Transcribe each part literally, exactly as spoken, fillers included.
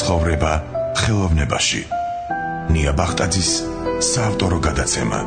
ცხოვრება ხელოვნებაში. ნია ბახტაძის საავტორო გადაცემა.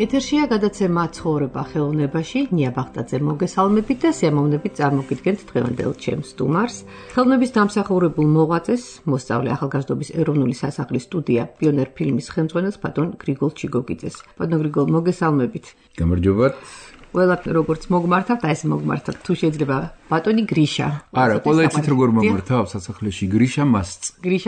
ეთერშია გადაცემა ცხოვრება ხელოვნებაში. ნია ბახტაძე მოგესალმებით და სიამოვნებით წარმოგიდგენთ დღევანდელ ჩემს სტუმარს. ხელოვნების დამსახურებულ მოღვაწეს, მოსწავლე ახალგაზრდობის ეროვნული სასახლის სტუდია პიონერ ფილმის ხელმძღვანელს ბატონ გრიგოლ ჩიგოგიძეს. ბატონ გრიგოლ, მოგესალმებით. გამარჯობათ. ყველა როგორც მოგმართავთ, აი ეს მოგმართავთ. თუ შეიძლება ბატონი გრიშა. არა, ყველა იცით როგორ მომართავ სასახლეში გრიშა მასწ.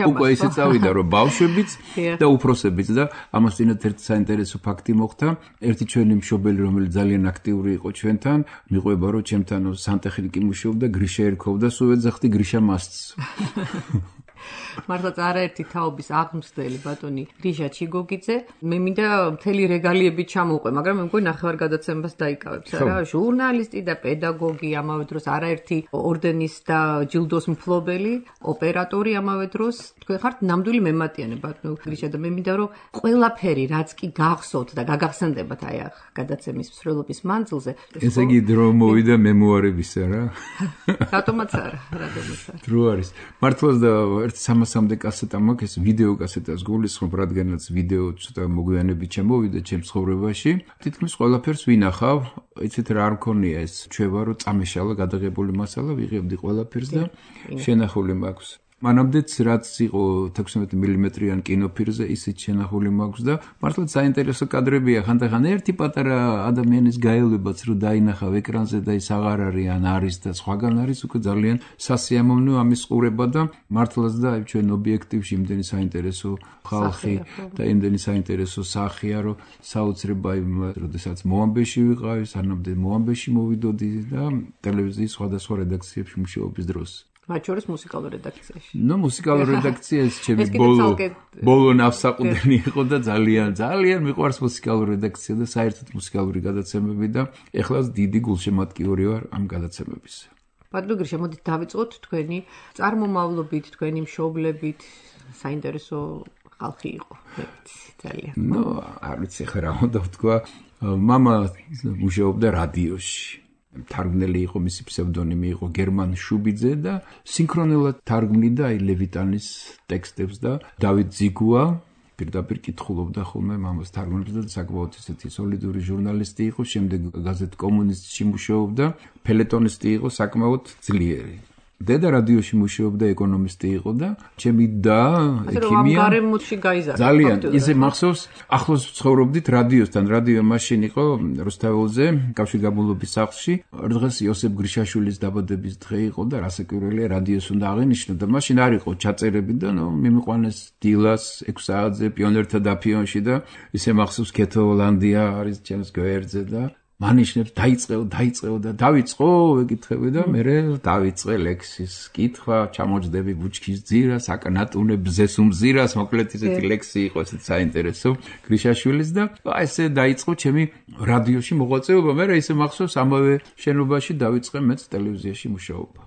უკვე ისე წავიდა რომ ბავშვებიც და უფროსებიც და ამას წინათ ერთ საინტერესო ფაქტი მოხდა. ერთი ჩვენი მშობელი, რომელიც ძალიან აქტიური იყო ჩვენთან, მიყვება რომ ჩემთან სანტექნიკი მუშაობდა, გრიშა ერქოვდა, სულ ეძახდი გრიშა მასწ. მართლაც არაერთი თაობის აღმზრდელი ბატონი გრიშა ჩიგოგიძე. მე მინდა მთელი რეგალიები ჩამოვყვე, მაგრამ მე მგონი ნახევარ გადაცემას დაიკავებს რა. ჟურნალისტი და პედაგოგი, ამავე დროს არაერთი ორდენის და ჯილდოს მფლობელი, ოპერატორი ამავე დროს. თქვენ ხართ ნამდვილი მემატიანე ბატონო გრიშა და მე მინდა რომ ყველაფერი რაც კი გახსოვთ და გაგახსენდებათ აი ახ გადაცემის მსვლელობის მანძილზე. ესე იგი დრო მოვიდა მემუარებისა რა. რატომაც არა, რატომაც არა. დრო არის. მართლაც და სამასამდე კასეტა მაქვს, ეს ვიდეო კასეტას გულისხმობ, რადგანაც ვიდეო ცოტა მოგვიანებით შემოვიდა ჩემს ცხოვრებაში. თითქმის ყველაფერს ვინახავ, იცით რა არ მქონია ეს ჩვევა, რომ წამეშალა გადაღებული მასალა ვიღებდი ყველაფერს და შენახული მაქვს. მანამდეც რაც იყო თექვსმეტ მილიმეტრიან კინოფირზე, ისიც შენახული მაქვს და მართლაც საინტერესო კადრებია. ხანდახან ერთი პატარა ადამიანის გაელვებაც რომ დაინახავ ეკრანზე და ის აღარ არის ან არის და სხვაგან არის, უკვე ძალიან სასიამოვნოა ამის ყურება და მართლაც და აი ჩვენ ობიექტივში იმდენი საინტერესო ხალხი და იმდენი საინტერესო სახეა, რომ საოცრება იმ როდესაც მოამბეში ვიყავი, სანამდე მოამბეში მოვიდოდი და ტელევიზიის სხვადასხვა რედაქციებში მუშაობის დროს. მათ შორის მუსიკალურ რედაქციაში. ნუ მუსიკალურ რედაქციაში ჩემი ბოლო ბოლო ნავსაყუდენი იყო და ძალიან ძალიან მიყვარს მუსიკალური რედაქცია და საერთოდ მუსიკალური გადაცემები და ეხლაც დიდი გულშემატკივარი ვარ ამ გადაცემების. ბატონო გრიშა, მოდით დავიწყოთ თქვენი წარმომავლობით, თქვენი მშობლებით, საინტერესო ხალხი იყო. ძალიან. ნუ არ ვიცი ხა რა უნდა ვთქვა, მამა მუშაობდა რადიოში. თარგმნელი იყო, მისი ფსევდონიმი იყო გერმან შუბიძე და სინქრონულად თარგმნიდა აი ლევიტანის ტექსტებს და დავით ზიგუა პირდაპირ კითხულობდა ხოლმე მამას თარგმნებს და საკმაოდ ისეთი სოლიდური ჟურნალისტი იყო, შემდეგ გაზეთ კომუნისტში მუშაობდა, ფელეტონისტი იყო საკმაოდ ძლიერი. დედა რადიოში მუშაობდა, ეკონომისტი იყო და ჩემი და ექიმია. ძალიან ისე მახსოვს, ახლოს ცხოვრობდით რადიოსთან, რადიო მაშინ იყო რუსთაველზე, კავშირგაბმულობის სახლში. დღეს იოსებ გრიშაშვილის დაბადების დღე იყო და რასაკვირველია, რადიოს უნდა აღენიშნო და მაშინ არ იყო ჩაწერები და ნუ მიმიყვანეს დილას ექვს საათზე პიონერთა დაფიონში და ისე მახსოვს ქეთო ჰოლანდია არის ჩემს გვერდზე და მანიშნებს დაიწყეო, დაიწყეო და დავიწყო, ეკითხები და მე დავიწყე ლექსის კითხვა, ჩამოჯდები ბუჩქის ძირას, აკნატუნე ბზეს უმზირას, მოკლედ ისეთი ლექსი იყო, ესეც საინტერესო გრიშაშვილის და აი ესე დაიწყო ჩემი რადიოში მოღვაწეობა, მე ისე მახსოვს ამავე შენობაში დავიწყე მეც ტელევიზიაში მუშაობა.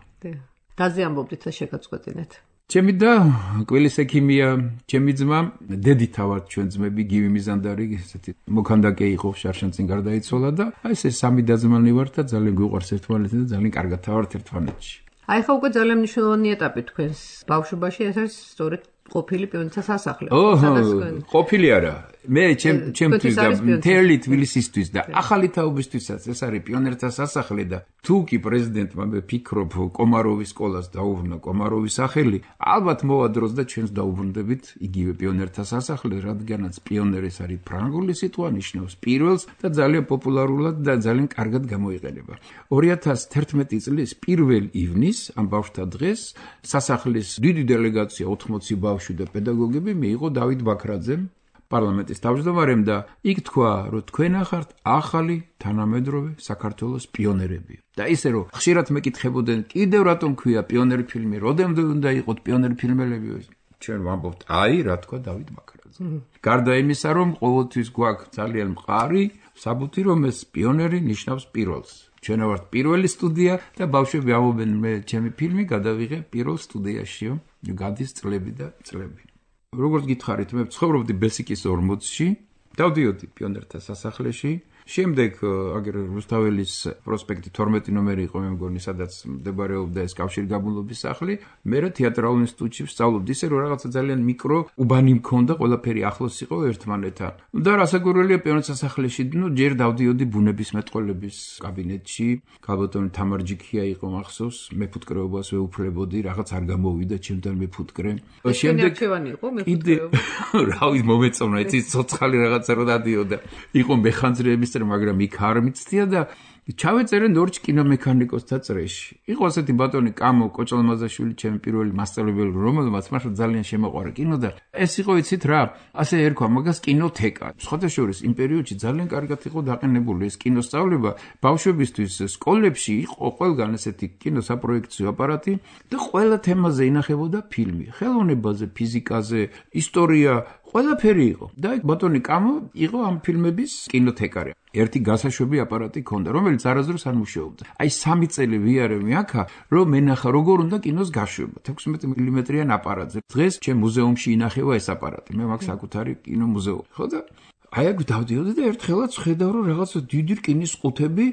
დაზე ამბობდით და შეგაწყვეტინეთ. ჩემი და კვილის ექიმია, ჩემი ძმა, დედითა ვართ ჩვენ ძმები, გივი მიზანდარი, ესეთი მოქანდაკე იყო, შარშანწინ გარდაიცვალა და აი ესე სამი და-ძმანი ვართ და ძალიან გვიყვარს ერთმანეთი და ძალიან კარგად ვართ ერთმანეთში. აი ხა უკვე ძალიან მნიშვნელოვანი ეტაპი თქვენს ბავშვობაში, ეს არის სწორედ ყოფილი პიონერთა სასახლე. ოჰ, ყოფილი არა. მე ჩემ ჩემთვის და მთელი თბილისისთვის და ახალი თაობისთვისაც ეს არის პიონერთა სასახლე და თუ კი პრეზიდენტმა მე ფიქრობ კომაროვის სკოლას დაუბრუნდა კომაროვის სახელი, ალბათ მოვა დროს და ჩვენს დაუბრუნდებით იგივე პიონერთა სასახლე, რადგანაც პიონერი არის ფრანგული სიტყვა, ნიშნავს პირველს და ძალიან პოპულარულად და ძალიან კარგად გამოიყენება. ორი ათას თერთმეტი წლის პირველ ივნის ამ ბავშვთა დღეს სასახლის დიდი დელეგაცია ოთხმოცი ბავშვი და პედაგოგები მიიღო დავით ბაქრაძემ პარლამენტის თავმჯდომარემ და იქ თქვა, რომ თქვენ ახართ ახალი თანამედროვე საქართველოს პიონერები. და ისე რომ ხშირად მეკითხებოდნენ, კიდევ რატომ ქვია პიონერი ფილმი, როდემდე უნდა იყოთ პიონერი ფილმელები? ჩვენ ვამბობთ, აი, რა თქვა დავით ბაქრაძე. გარდა იმისა, რომ ყოველთვის გვაქვს ძალიან მყარი საბუთი, რომ ეს პიონერი ნიშნავს პირველს. ჩვენ ვართ პირველი სტუდია და ბავშვები ამობენ მე ჩემი ფილმი გადავიღე პირველ სტუდიაშიო გადის წლები და წლები როგორც გითხარით მე ცხოვრობდი ბესიკის ორმოცში დავდიოდი პიონერთა სასახლეში შემდეგ აგერ რუსთაველის პროსპექტი თორმეტი ნომერი იყო მე მგონი სადაც მდებარეობდა ეს კავშირგაბმულობის სახლი მე რა თეატრალურ ინსტიტუტში ვსწავლობდი ისე რომ რაღაცა ძალიან მიკრო უბანი მქონდა ყველაფერი ახლოს იყო ერთმანეთთან და რასაკვირველია პიონერთა სასახლეში ნუ ჯერ დავდიოდი ბუნებისმეტყველების კაბინეტში გალბატონი თამარჯიქია იყო მახსოვს მეფუტკრეობას ვეუფლებოდი რაღაც არ გამოვიდა ჩემთან მეფუტკრე შემდეგ ჩვენი იყო მეფუტკრეობა რავი მომეწონა იცი ცოცხალი რაღაცა რო დადიოდა იყო მეხანძრეების მაგრამ იქ არ მიცდია და ჩავეწერე ნორჩ კინომექანიკოსთა წრეში. იყო ასეთი ბატონი კამო კოჭალმაზაშვილი ჩემი პირველი მასწავლებელი რომელმაც მართლა ძალიან შემოყვარა კინო და ეს იყო იცით რა ასე ერქვა მაგას კინოთეკა. სხვადასხვა იმ პერიოდში ძალიან კარგად იყო დაყენებული ეს კინოსწავლება ბავშვებისთვის სკოლებში იყო ყველგან ესეთი კინოსაპროექციო აპარატი და ყველა თემაზე ინახებოდა ფილმი. ხელოვნებაზე, ფიზიკაზე, ისტორია ყველაფერი იყო და ბატონი კამო იყო ამ ფილმების კინოთეკარი. ერთი გასაშვები აპარატი ქონდა, რომელიც არასდროს არ მუშაობდა. აი სამი წელი ვიარე მე აქა, რომ მენახა როგორ უნდა კინოს გაშვება. ექვსმეტი მილიმეტრიან აპარატზე. დღეს ჩემ მუზეუმში ინახება ეს აპარატი. მე მაქვს საკუთარი კინო მუზეუმი. ხო და აი აქ დავდიოდი და ერთხელაც ხედავ რომ რაღაც დიდი რკინის ყუთები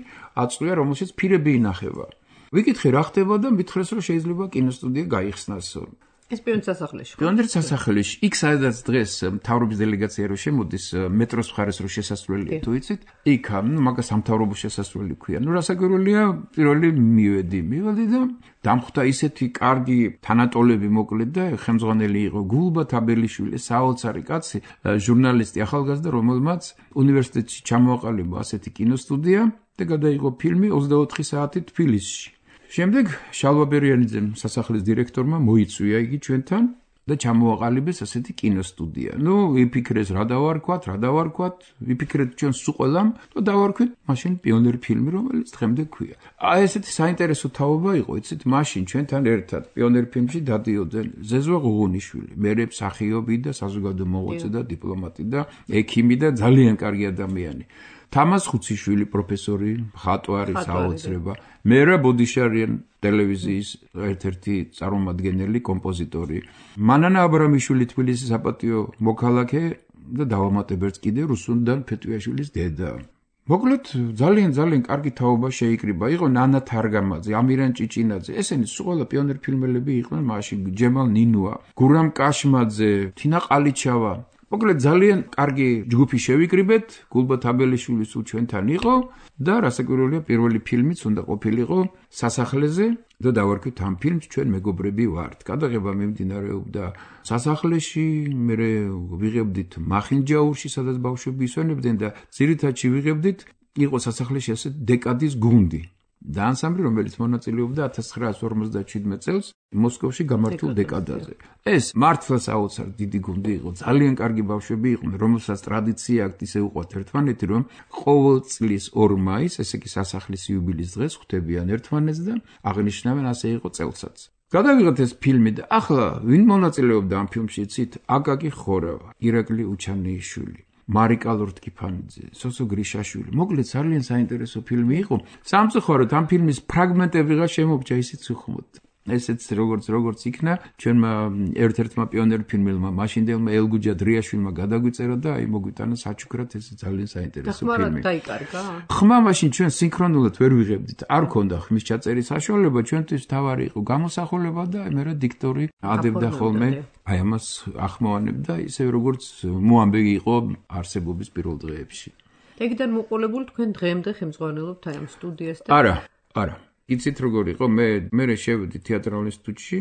აწვია, რომელშიც ფირები ინახება. ვიკითხე რა ხდება და მითხრეს რომ შეიძლება კინოსტუდია გაიხსნასო. ეს პიონერთა სასახლეში. პიონერთა სასახლეში. იქ სადაც დღეს მთავრობის დელეგაცია რო შემოდის მეტროს მხარეს რო შესასვლელი თუ იცით, იქ მაგას სამთავრობო შესასვლელი ქვია. ნუ რასაკვირველია, პირველი მივედი, მივედი და დამხვდა ისეთი კარგი თანატოლები მოკლედ და ხელმძღვანელი იყო გულბა თაბელიშვილი, საოცარი კაცი, ჟურნალისტი ახალგაზრდა, რომელმაც უნივერსიტეტში ჩამოაყალიბა ასეთი კინოსტუდია და გადაიღო ფილმი ოცდაოთხი საათი თბილისში. შემდეგ შალვა ბერიანიძემ სასახლის დირექტორმა მოიწვია იგი ჩვენთან და ჩამოაყალიბეს ასეთი კინოსტუდია. ნუ იფიქრეს რა დავარქვათ, რა დავარქვათ, ვიფიქრეთ ჩვენ სულ და დავარქვით მაშინ პიონერი ფილმი, რომელიც დღემდე ქვია. აი ესეთი საინტერესო თაობა იყო, იცით, მაშინ ჩვენთან ერთად პიონერ ფილმში დადიოდნენ ზეზვა ღუღუნიშვილი, მერე მსახიობი და საზოგადო მოღვაწე და დიპლომატი და ექიმი და ძალიან კარგი ადამიანი. თამას ხუციშვილი პროფესორი, მხატვარი, საოცრება. მერა ბოდიშარიან ტელევიზიის ერთ-ერთი წარმომადგენელი, კომპოზიტორი. მანანა აბრამიშვილი თბილისის საპატიო მოქალაქე და დავამატებერც კიდე რუსუნდან ფეტვიაშვილის დედა. მოკლედ ძალიან ძალიან კარგი თაობა შეიკრიბა. იყო ნანა თარგამაძე, ამირან ჭიჭინაძე. ესენი სულ პიონერ ფილმელები იყვნენ მაშინ. ჯემალ ნინუა, გურამ კაშმაძე, თინა ყალიჩავა. მოკლედ ძალიან კარგი ჯგუფი შევიკრიბეთ, გულბა თაბელიშვილის უ ჩვენთან იყო და რასაკვირველია პირველი ფილმიც უნდა ყოფილიყო სასახლეზე და დავარქვით ამ ფილმს ჩვენ მეგობრები ვართ. გადაღება მიმდინარეობდა სასახლეში, მე ვიღებდით მახინჯაურში, სადაც ბავშვები ისვენებდნენ და ძირითადში ვიღებდით იყო სასახლეში ასე დეკადის გუნდი. და ანსამბლი, რომელიც მონაწილეობდა ათას ცხრაასი ორმოცდაჩვიდმეტ წელს მოსკოვში გამართულ დეკადაზე. ეს მართლა საოცარ დიდი გუნდი იყო, ძალიან კარგი ბავშვები იყვნენ, რომელსაც ტრადიცია აქვს ისე უყვართ ერთმანეთი, რომ ყოველ წლის ორ მაისს, ესე იგი სასახლის იუბილეის დღეს ხვდებიან ერთმანეთს და აღნიშნავენ, ასე იყო წელსაც. გადავიღეთ ეს ფილმი და ახლა ვინ მონაწილეობდა ამ ფილმში, იცით? აკაკი ხორავა, ირაკლი უჩანიშვილი. მარიკა ლორთქიფანიძე, სოსო გრიშაშვილი. მოკლედ ძალიან საინტერესო ფილმი იყო. სამწუხაროდ ამ ფილმის ფრაგმენტებიღა შემოგჭა ისიც უხმოდ. ესეც როგორც როგორც იქნა, ჩვენმა ერთ-ერთმა პიონერ ფილმელმა, მაშინდელმა ელგუჯა დრიაშვილმა გადაგვიწერა და აი მოგვიტანა საჩუქრად ეს ძალიან საინტერესო ფილმი. ხმა დაიკარგა? ხმა მაშინ ჩვენ სინქრონულად ვერ ვიღებდით. არ ქონდა ხმის ჩაწერის საშუალება, ჩვენთვის თავარი იყო გამოსახულება და აი მე რა დიქტორი ადებდა ხოლმე. აი ამას ახმოვანებდა ისე როგორც მოამბეგი იყო არსებობის პირველ დღეებში. ეგიდან მოყოლებულ თქვენ დღემდე ხელმძღვანელობთ აი ამ სტუდიას და არა, არა. იცით როგორ იყო, მე მე შევედი თეატრალურ ინსტიტუტში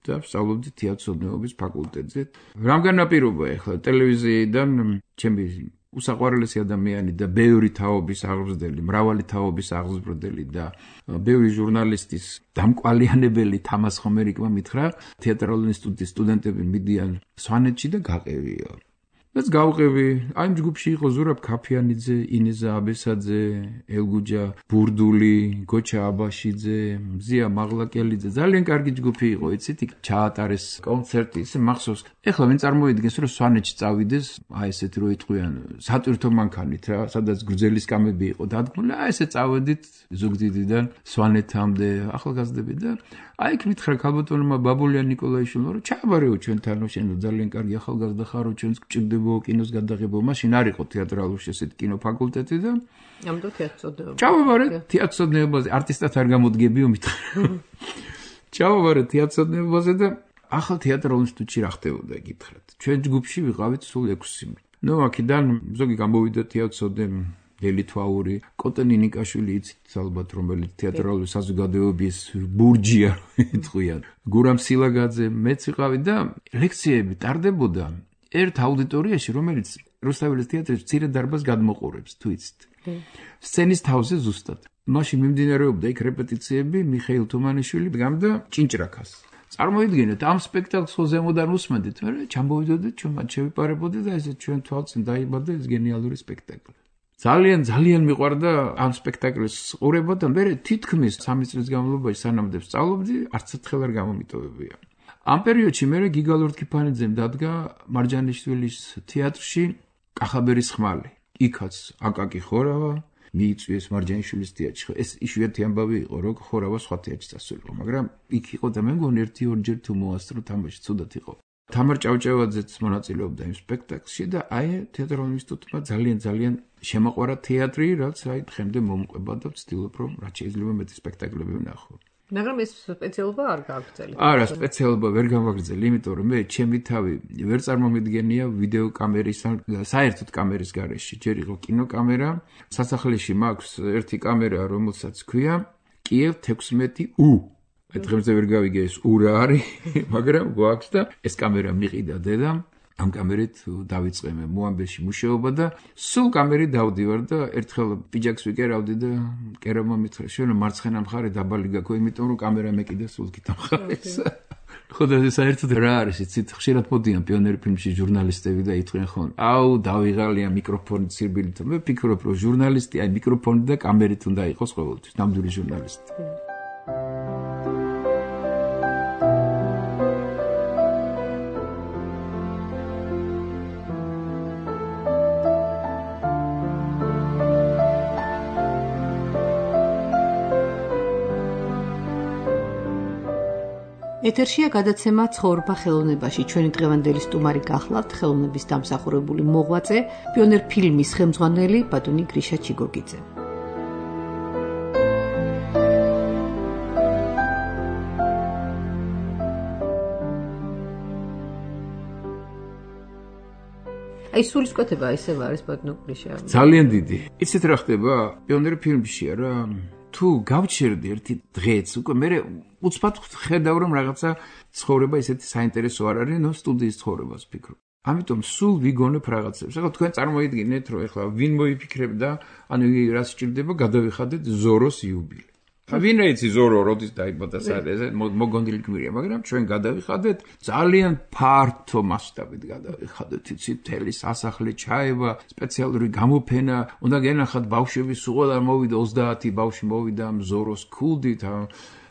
და ვსწავლობდი თეატროსნეობის ფაკულტეტზე. რამგან ნაპირობა ახლა ტელევიზიიდან ჩემი უსაყვარლესი ადამიანი და ბევრი თაობის აღზრდელი, მრავალი თაობის აღზრდელი და ბევრი ჟურნალისტის დამკვალიანებელი თამას ხომერიკმა მითხრა, თეატრალურ ინსტიტუტის სტუდენტები მიდიან სვანეთში და გაყევიო. რაც გავყევი, აი იმ ჯგუფში იყო ზურაბ ქაფიანიძე, ინეზა აბესაძე, ელგუჯა ბურდული, გოჩა აბაშიძე, მზია მაღლაკელიძე, ძალიან კარგი ჯგუფი იყო, იცით, იქ ჩაატარეს კონცერტი, ისე მახსოვს. ეხლა ვინ წარმოიდგენს, რომ სვანეთში წავიდეს, აი ესეთი რო იტყვიან სატვირთო მანქანით რა, სადაც გრძელი სკამები იყო დადგმული, აი ესე წავედით ზუგდიდიდან სვანეთამდე, ახალგაზრდები და აი იქ მითხრა ქალბატონმა ბაბულიან ნიკოლაიშვილმა, რომ ჩააბარეო ჩვენთან, შენ ძალიან კარგი ახალგაზრდა ხარო, ჩვენს გჭირდებო კინოს გადაღება, მაშინ არ იყო თეატრალურში ესეთი კინოფაკულტეტი და ამიტომ თეატრწოდებაზე. ჩავაბარე თეატრწოდებაზე, არტისტად არ გამოდგებიო მითხრა. ჩავაბარე თეატრწოდებაზე და ახალ თეატრალურ ინსტიტუტში რა ხდებოდა გითხრათ. ჩვენ ჯგუფში ვიყავით სულ ექვსი. ნუ აქედან ზოგი გამოვიდა თეატრწოდემ ელითვაური კოტენი ნიკაშვილი იცით ალბათ რომელიც თეატრალური საზოგადოების ბურჯია იტყვიან გურამ სილაგაძე მეც ვიყავი და ლექციები ტარდებოდა ერთ აუდიტორიაში რომელიც რუსთაველის თეატრის მცირე დარბაზს გადმოყურებს თუ იცით სცენის თავზე ზუსტად მაშინ მიმდინარეობდა იქ რეპეტიციები მიხეილ თუმანიშვილი დგამდა ჭინჭრაკას წარმოიდგინეთ ამ სპექტაკლს ხო ზემოდან უსმენდით მე ჩამოვიდოდით ჩვენ მათ შევიპარებოდით და ესე ჩვენ თვალწინ დაიბადა ეს გენიალური სპექტაკლი ძალიან ძალიან მიყვარდა ამ სპექტაკლის ყურება და მე თითქმის სამი წლის განმავლობაში სანამდე ვსწავლობდი არც ერთხელ არ გამომიტოვებია. ამ პერიოდში მე გიგა ლორთქიფანიძემ დადგა მარჯანიშვილის თეატრში კახაბერის ხმალი. იქაც აკაკი ხორავა მიიწვიეს მარჯანიშვილის თეატრში. ეს იშვიათი ამბავი იყო, რომ ხორავა სხვა თეატრში წასულიყო, მაგრამ იქ იყო და მე მგონი ერთი ორჯერ თუ მოასწრო თამაში ცუდად იყო. თამარ ჭავჭავაძეც მონაწილეობდა იმ სპექტაკლში და აი თეატრალურ ინსტიტუტმა ძალიან ძალიან შემოყვარა თეატრი, რაც აი დღემდე მომყვება და ვცდილობ რომ რაც შეიძლება მეტი სპექტაკლები ვნახო. მაგრამ ეს სპეციალობა არ გააგრძელე. არა, სპეციალობა ვერ გამაგრძელე, იმიტომ რომ მე ჩემი თავი ვერ წარმომიდგენია ვიდეო კამერის ან საერთოდ კამერის გარეშე. ჯერ იყო კინოკამერა, სასახლეში მაქვს ერთი კამერა, რომელსაც ქვია კიევ თექვსმეტი U. აი დღემდე ვერ გავიგე ეს U რა არის, მაგრამ გვაქვს და ეს კამერა მიყიდა დედამ. ამ კამერით დავიწყე მე მოამბეში მუშაობა და სულ კამერით დავდივარ და ერთხელ პიჯაკს ვიკერავდი და კერამმა მითხრა შენ მარცხენა მხარე დაბალი გაქვს იმიტომ რომ კამერა მეკიდა სულ გითამხარეს ხოდა ეს საერთოდ რა არის იცით ხშირად მოდიან პიონერი ფილმში ჟურნალისტები და იტყვიან ხო აუ დავიღალია მიკროფონით სირბილით მე ვფიქრობ რომ ჟურნალისტი აი მიკროფონით და კამერით უნდა იყოს ყოველთვის ნამდვილი ჟურნალისტი ეთერშია გადაცემა ცხოვრება ხელოვნებაში. ჩვენი დღევანდელი სტუმარი გახლავთ ხელოვნების დამსახურებული მოღვაწე, პიონერ ფილმის ხელმძღვანელი ბატონი გრიშა ჩიგოგიძე. აი სულისკვეთება ისევ არის ბატონო გრიშა. ძალიან დიდი. იცით რა ხდება? პიონერ ფილმშია რა თუ გავჩერდი ერთი დღეც უკვე მე უცბად ხედავ რომ რაღაცა ცხოვრება ისეთი საინტერესო არ არის, ნუ სტუდიის ცხოვრებას ვფიქრობ. ამიტომ სულ ვიგონებ რაღაცებს. ახლა თქვენ წარმოიდგინეთ რომ ახლა ვინ მოიფიქრებდა, ანუ რა სჭირდება გადავიხადეთ ზოროს იუბილე. ვინ ეცი ზორო როდის დაიბადა საერთოდ მოგონილი გმირია, მაგრამ ჩვენ გადავიხადეთ ძალიან ფართო მასშტაბით გადავიხადეთ, იცით, მთელი სასახლე ჩაება, სპეციალური გამოფენა, უნდა გენახათ ბავშვები სულ არ მოვიდა ოცდაათი ბავშვი მოვიდა ზოროს ქულდით,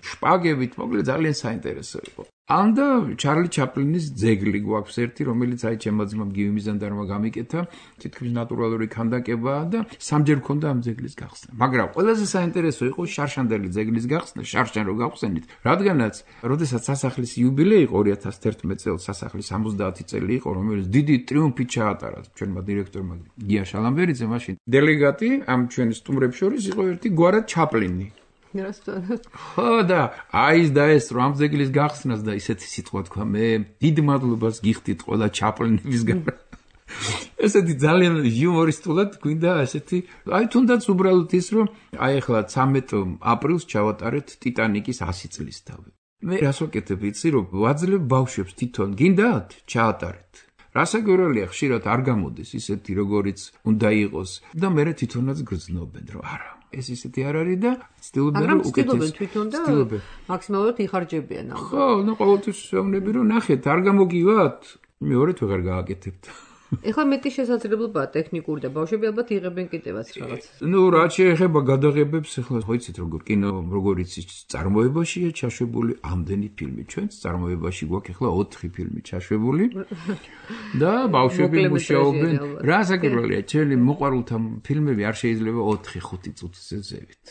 შპაგებით, მოკლედ ძალიან საინტერესო იყო. ანდა ჩარლი ჩაპლინის ძეგლი გვაქვს ერთი, რომელიც აი ჩემმა ძმამ გივი მიზანდარმა გამიკეთა, თითქმის ნატურალური ქანდაკებაა და სამჯერ მქონდა ამ ძეგლის გახსნა. მაგრამ ყველაზე საინტერესო იყო შარშანდელი ძეგლის გახსნა, შარშან რო გავხსენით, რადგანაც როდესაც სასახლის იუბილეი იყო ორი ათას თერთმეტ წელს სასახლის ორმოცდაათი წელი იყო, რომელიც დიდი ტრიუმფით ჩაატარა ჩვენმა დირექტორმა გია შალამბერიძე, მაშინ დელეგატი ამ ჩვენი სტუმრებს შორის იყო ერთი გვარად ჩაპლინი. ხო და აი და ეს რომ ამ ძეგლის გახსნას და ისეთი სიტყვა თქვა მე დიდ მადლობას გიხდით ყველა ჩაპლინებისგან ესეთი ძალიან იუმორისტულად გვინდა ესეთი აი თუნდაც უბრალოდ ის რომ აი ახლა ცამეტ აპრილს ჩავატარეთ ტიტანიკის ასი წლის თავი მე რას ვაკეთებ იცი რომ ვაძლევ ბავშვებს თვითონ გინდათ ჩაატარეთ რასაკვირველია ხშირად არ გამოდის ისეთი როგორიც უნდა იყოს და მე თვითონაც გრძნობენ რომ არა ეს ისეთი არ არის და ცდილობენ რომ უკეთეს თვითონ და მაქსიმალურად იხარჯებიან ამ. ხო, ნუ ყოველთვის ვეუბნები რომ ნახეთ, არ გამოგივათ, მეორედ ვეღარ გააკეთებთ. ეხლა მეტი შესაძლებლობაა ტექნიკური და ბავშვები ალბათ იღებენ კიდევაც რაღაც. ნუ რა შეეხება გადაღებებს, ეხლა ხო იცით როგორ კინო როგორ იცით წარმოებაშია ჩაშვებული ამდენი ფილმი. ჩვენც წარმოებაში გვაქვს ეხლა ოთხი ფილმი ჩაშვებული. და ბავშვები მუშაობენ. რა საკითხია, ჩვენი მოყვარულთა ფილმები არ შეიძლება ოთხი ხუთი წუთზე ზევით.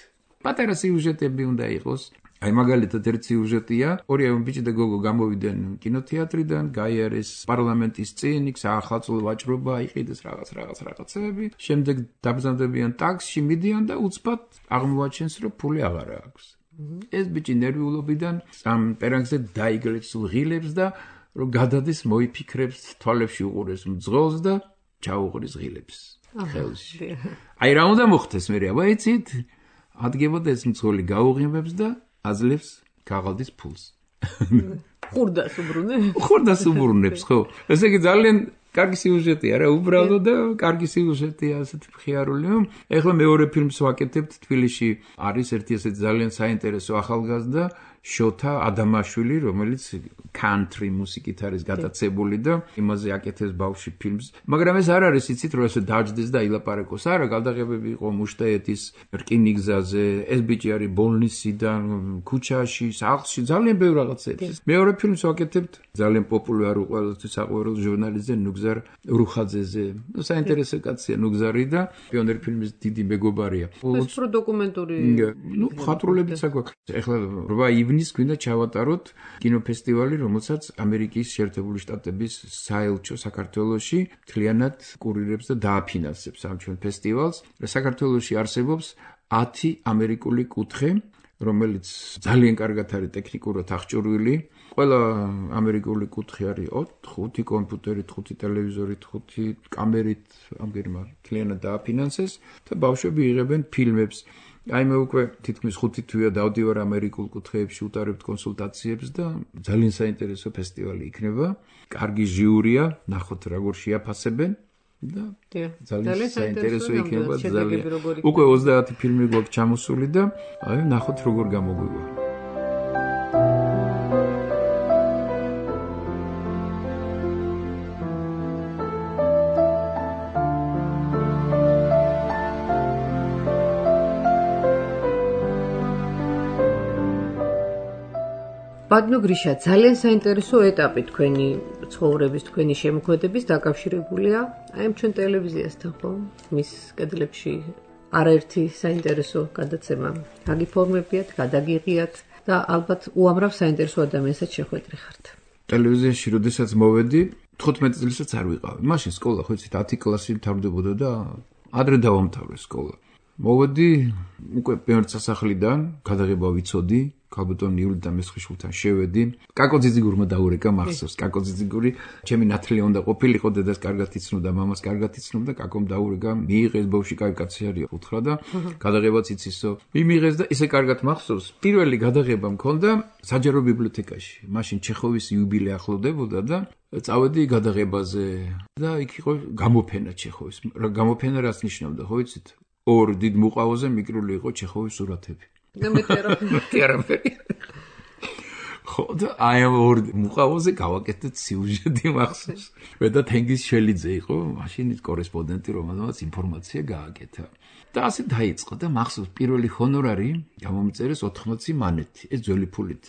პატარა სიუჟეტები უნდა იყოს. აი მაგალითად ერთ სიუჟეტია, ორი ბიჭი და გოგო გამოვიდნენ კინოთეატრიდან, გაიარეს პარლამენტის წინ, იქ საახალწლო ვაჭრობა, იყიდეს რაღაც რაღაც რაღაცები. შემდეგ დაბრძანდებიან ტაქსში, მიდიან და უცბად აღმოაჩენს, რომ ფული აღარ აქვს. ეს ბიჭი ნერვიულობიდან ამ პერანგზე დაიგლებს ღილებს და რომ გადადის მოიფიქრებს, თვალებში უყურეს მძღოლს და ჩაუყრის ღილებს ხელში. აი რა უნდა მოხდეს მე, აბა იცით? ადგებოდა ეს მძღოლი გაუღიმებს და აძლევს ქაღალდის ფულს. ხურდას უბრუნებს. ხურდას უბრუნებს, ხო. ესე იგი ძალიან კარგი სიუჟეტია რა, უბრალოდ და კარგი სიუჟეტია, ასეთი მხიარული. ეხლა მეორე ფილმს ვაკეთებთ თბილისში. არის ერთი ესეთი ძალიან საინტერესო ახალგაზრდა შოთა ადამაშვილი, რომელიც country მუსიკით არის გატაცებული და იმაზე აკეთებს ბავშვი ფილმს. მაგრამ ეს არ არის იცით რომ ესე დაждდეს და ილაპარაკოს. არა, გადაღებები იყო მუშტაეთის რკინიგზაზე, ეს ბიჭი არის ბოლნისიდან, ქუჩაში, სახლში, ძალიან ბევრ რაღაცებს. მეორე ფილმს ვაკეთებთ ძალიან პოპულარულ ყველასთვის საყვარელ ჟურნალისტზე ნუგზარ რუხაძეზე. ნუ საინტერესო კაცია ნუგზარი და პიონერ ფილმის დიდი მეგობარია. ეს პრო დოკუმენტური ნუ ხატრულებიც აქვს. ეხლა რვა ივნის გვინდა ჩავატაროთ კინოფესტივალი, რომელსაც ამერიკის შეერთებული შტატების საელჩო საქართველოში მთლიანად კურირებს და დააფინანსებს ამ ჩვენ ფესტივალს. საქართველოში არსებობს ათი ამერიკული კუთხე, რომელიც ძალიან კარგად არის ტექნიკურად აღჭურვილი. ყველა ამერიკული კუთხე არის ხუთი კომპიუტერით, ხუთი ტელევიზორით, ხუთი კამერით, ამგერმა მთლიანად დააფინანსეს და ბავშვები იღებენ ფილმებს. აი მე უკვე თითქმის ხუთი თვეა დავდივარ ამერიკულ კუთხეებში, უტარებთ კონსულტაციებს და ძალიან საინტერესო ფესტივალი იქნება. კარგი ჟიურია, ნახოთ როგორ შეაფასებენ და ძალიან საინტერესო იქნება ძალიან. უკვე ოცდაათი ფილმი გვაქვს ჩამოსული და აი ნახოთ როგორ გამოგვივა. ბატონო გრიშა, ძალიან საინტერესო ეტაპი თქვენი ცხოვრების, თქვენი შემოქმედების დაკავშირებულია აი ამ ჩვენ ტელევიზიასთან, ხო? მის კედლებში არაერთი საინტერესო გადაცემა გაგიფორმებიათ, გადაგიღიათ და ალბათ უამრავ საინტერესო ადამიანსაც შეხვედრი ხართ. ტელევიზიაში როდესაც მოვედი, თხუთმეტი წელსაც არ ვიყავი. მაშინ სკოლა, ხო იცით, ათი კლასი მთავრდებოდა და ადრე დავამთავრე სკოლა. მოვედი უკვე პირველ სასახლიდან, გადაღება ვიცოდი. ქალბატონ ივლიდან მესხიშულთან შევედი. კაკო ძიძიგურმა დაურეკა მახსოვს. კაკო ძიძიგური ჩემი ნათლია უნდა ყოფილიყო, დედას კარგად იცნობდა, მამას კარგად იცნობდა, კაკომ დაურეკა, მიიღეს ბავშვი კაი კაცი არის, უთხრა და გადაღებაც იცისო. მიმიღეს და ისე კარგად მახსოვს. პირველი გადაღება მქონდა საჯარო ბიბლიოთეკაში. მაშინ ჩეხოვის იუბილე ახლოვდებოდა და წავედი გადაღებაზე და იქ იყო გამოფენა ჩეხოვის. გამოფენა რას ნიშნავდა, ხო იცით? ორ დიდ მუყავოზე მიკრული იყო ჩეხოვის სურათები. ნამეთერაფერი. ხო და აი ამ ორ მუყავოზე გავაკეთეთ სიუჟეტი მახსოვს. მე და თენგიზ შელიძე იყო, მაშინ კორესპონდენტი, რომელმაც ინფორმაცია გააკეთა. და ასე დაიწყო და მახსოვს პირველი ჰონორარი გამომწერეს ოთხმოცი მანეთი. ეს ძველი ფულით.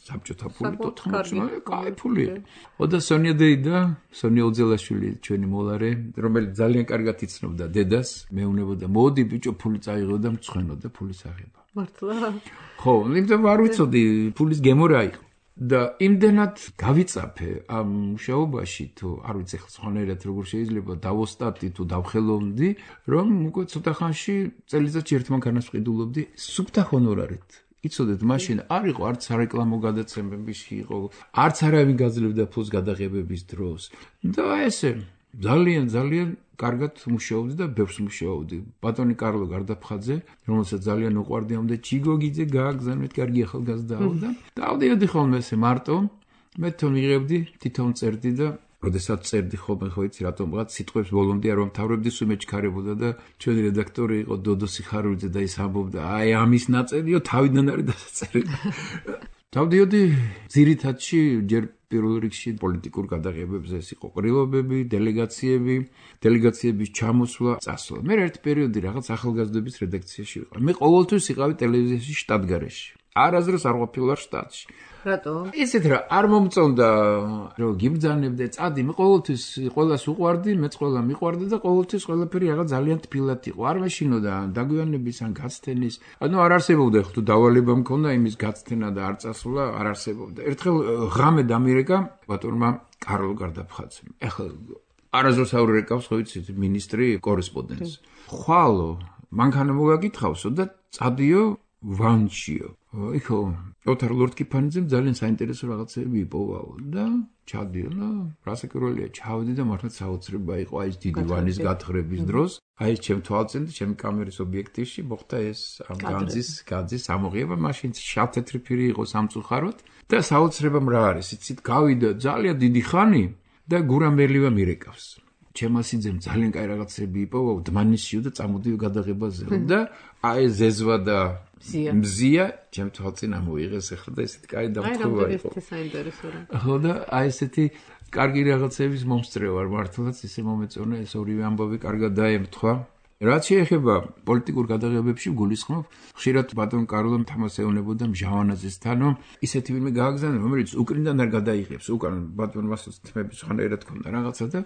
საბჭოთა ფულით ოთხმოცი მანეთი, კაი ფული. ხო და სონია დეიდა, სონია უძელაშვილი ჩვენი მოლარე, რომელიც ძალიან კარგად იცნობდა დედას, მეუნებოდა, მოდი ბიჭო ფული წაიღო და მწვენო და ფულის აღება. მართლა? ხო, იმიტომ არ ვიცოდი ფულის გემო რა იყო. და იმდენად გავიწაფე ამ მუშაობაში, თუ არ ვიცი ხო სხვანაირად როგორ შეიძლება დავოსტატი თუ დავხელოვნდი, რომ უკვე ცოტა ხანში წელიწადში ერთ მანქანას ვყიდულობდი სუფთა ჰონორარით. იცოდეთ, მაშინ არ იყო არც სარეკლამო გადაცემებში იყო, არც არავინ გაძლევდა ფულს გადაღებების დროს. და ესე ძალიან ძალიან კარგად მუშაობდი და ბევრს მუშაობდი. ბატონი კარლო გარდაფხაძე, რომელსაც ძალიან უყვარდი, ამდე ჩიგოგიძე გააგზავნეთ, კარგი ახალგაზრდაა და დავდიოდი ხოლმე ესე მარტო, მე თვითონ ვიღებდი, თვითონ წერდი და როდესაც წერდი ხოლმე, ხო იცი, რატომღაც სიტყვებს ბოლომდე არ ვამთავრებდი, სულ მეჩქარებოდა და ჩვენი რედაქტორი იყო დოდო სიხარულიძე და ის ამბობდა, აი ამის ნაწერიო თავიდან არის დასაწერილი. დავდიოდი ძირითადში ჯერ პირველ რიგში პოლიტიკურ გადაღებებზე ეს იყო ყრილობები, დელეგაციები, დელეგაციების ჩამოსვლა, წასვლა. მე ერთ პერიოდი რაღაც ახალგაზრდების რედაქციაში ვიყავ. მე ყოველთვის ვიყავი ტელევიზიაში შტატგარეში. არასდროს არ ყოფილი ვარ შტატში. რატო? ისეთ რა არ მომწონდა რომ გიბრძანებდე წადი მე ყოველთვის ყველას უყვარდი მეც ყველა მიყვარდა და ყოველთვის ყველაფერი რაღაც ძალიან თბილად იყო არ მეშინოდა დაგვიანების ან გაცდენის ანუ არ არსებობდა ხო თუ დავალება მქონდა იმის გაცდენა და არ წასვლა არ არსებობდა ერთხელ ღამე დამირეკა ბატონმა კარლო გარდაფხაცემ ეხლა არასდროს არ ურეკავს ხო იცით მინისტრი კორესპონდენტს ხვალო მანქანა მოგაკითხავსო და წადიო ვანჩიო იხო ოთარ ლორდკიფანიძემ ძალიან საინტერესო რაღაცები იპოვაო და ჩადიო რასაკურველია ჩავდი და მართლა საოცრება იყო აი ეს დიდი ვანის გათხრების დროს აი ეს ჩემ თვალწინ და ჩემ კამერის ობიექტივში მოხდა ეს ამ განძის განძის ამოღება მაშინ შავ-თეთრი ფირი იყო სამწუხაროდ და საოცრება რა არის იცით გავიდა ძალიან დიდი ხანი და გურამელივა მირეკავს ჩემასიძემ ძალიან კაი რაღაცები იპოვაო დმანიშიო და წამოდიო გადაღებაზე და აი ზეზვა და მზია ჩემ თვალწინ ამოიღეს ახლა და ესეთი კაი დამთხოვა იყო. აი, საინტერესო რა. ხო და აი ესეთი კარგი რაღაცების მომსწრე ვარ მართლაც ისე მომეწონა ეს ორივე ამბავი კარგად დაემთხვა. რაც შეეხება პოლიტიკურ გადაღებებში გულისხმობ, ხშირად ბატონ კარლომ თამას ეუბნებოდა მჟავანაძესთანო, ისეთი ვინმე გააგზავნა, რომელიც უკრინდან არ გადაიღებს, უკან ბატონ მასოს თმების ხანერად ქონდა რაღაცა და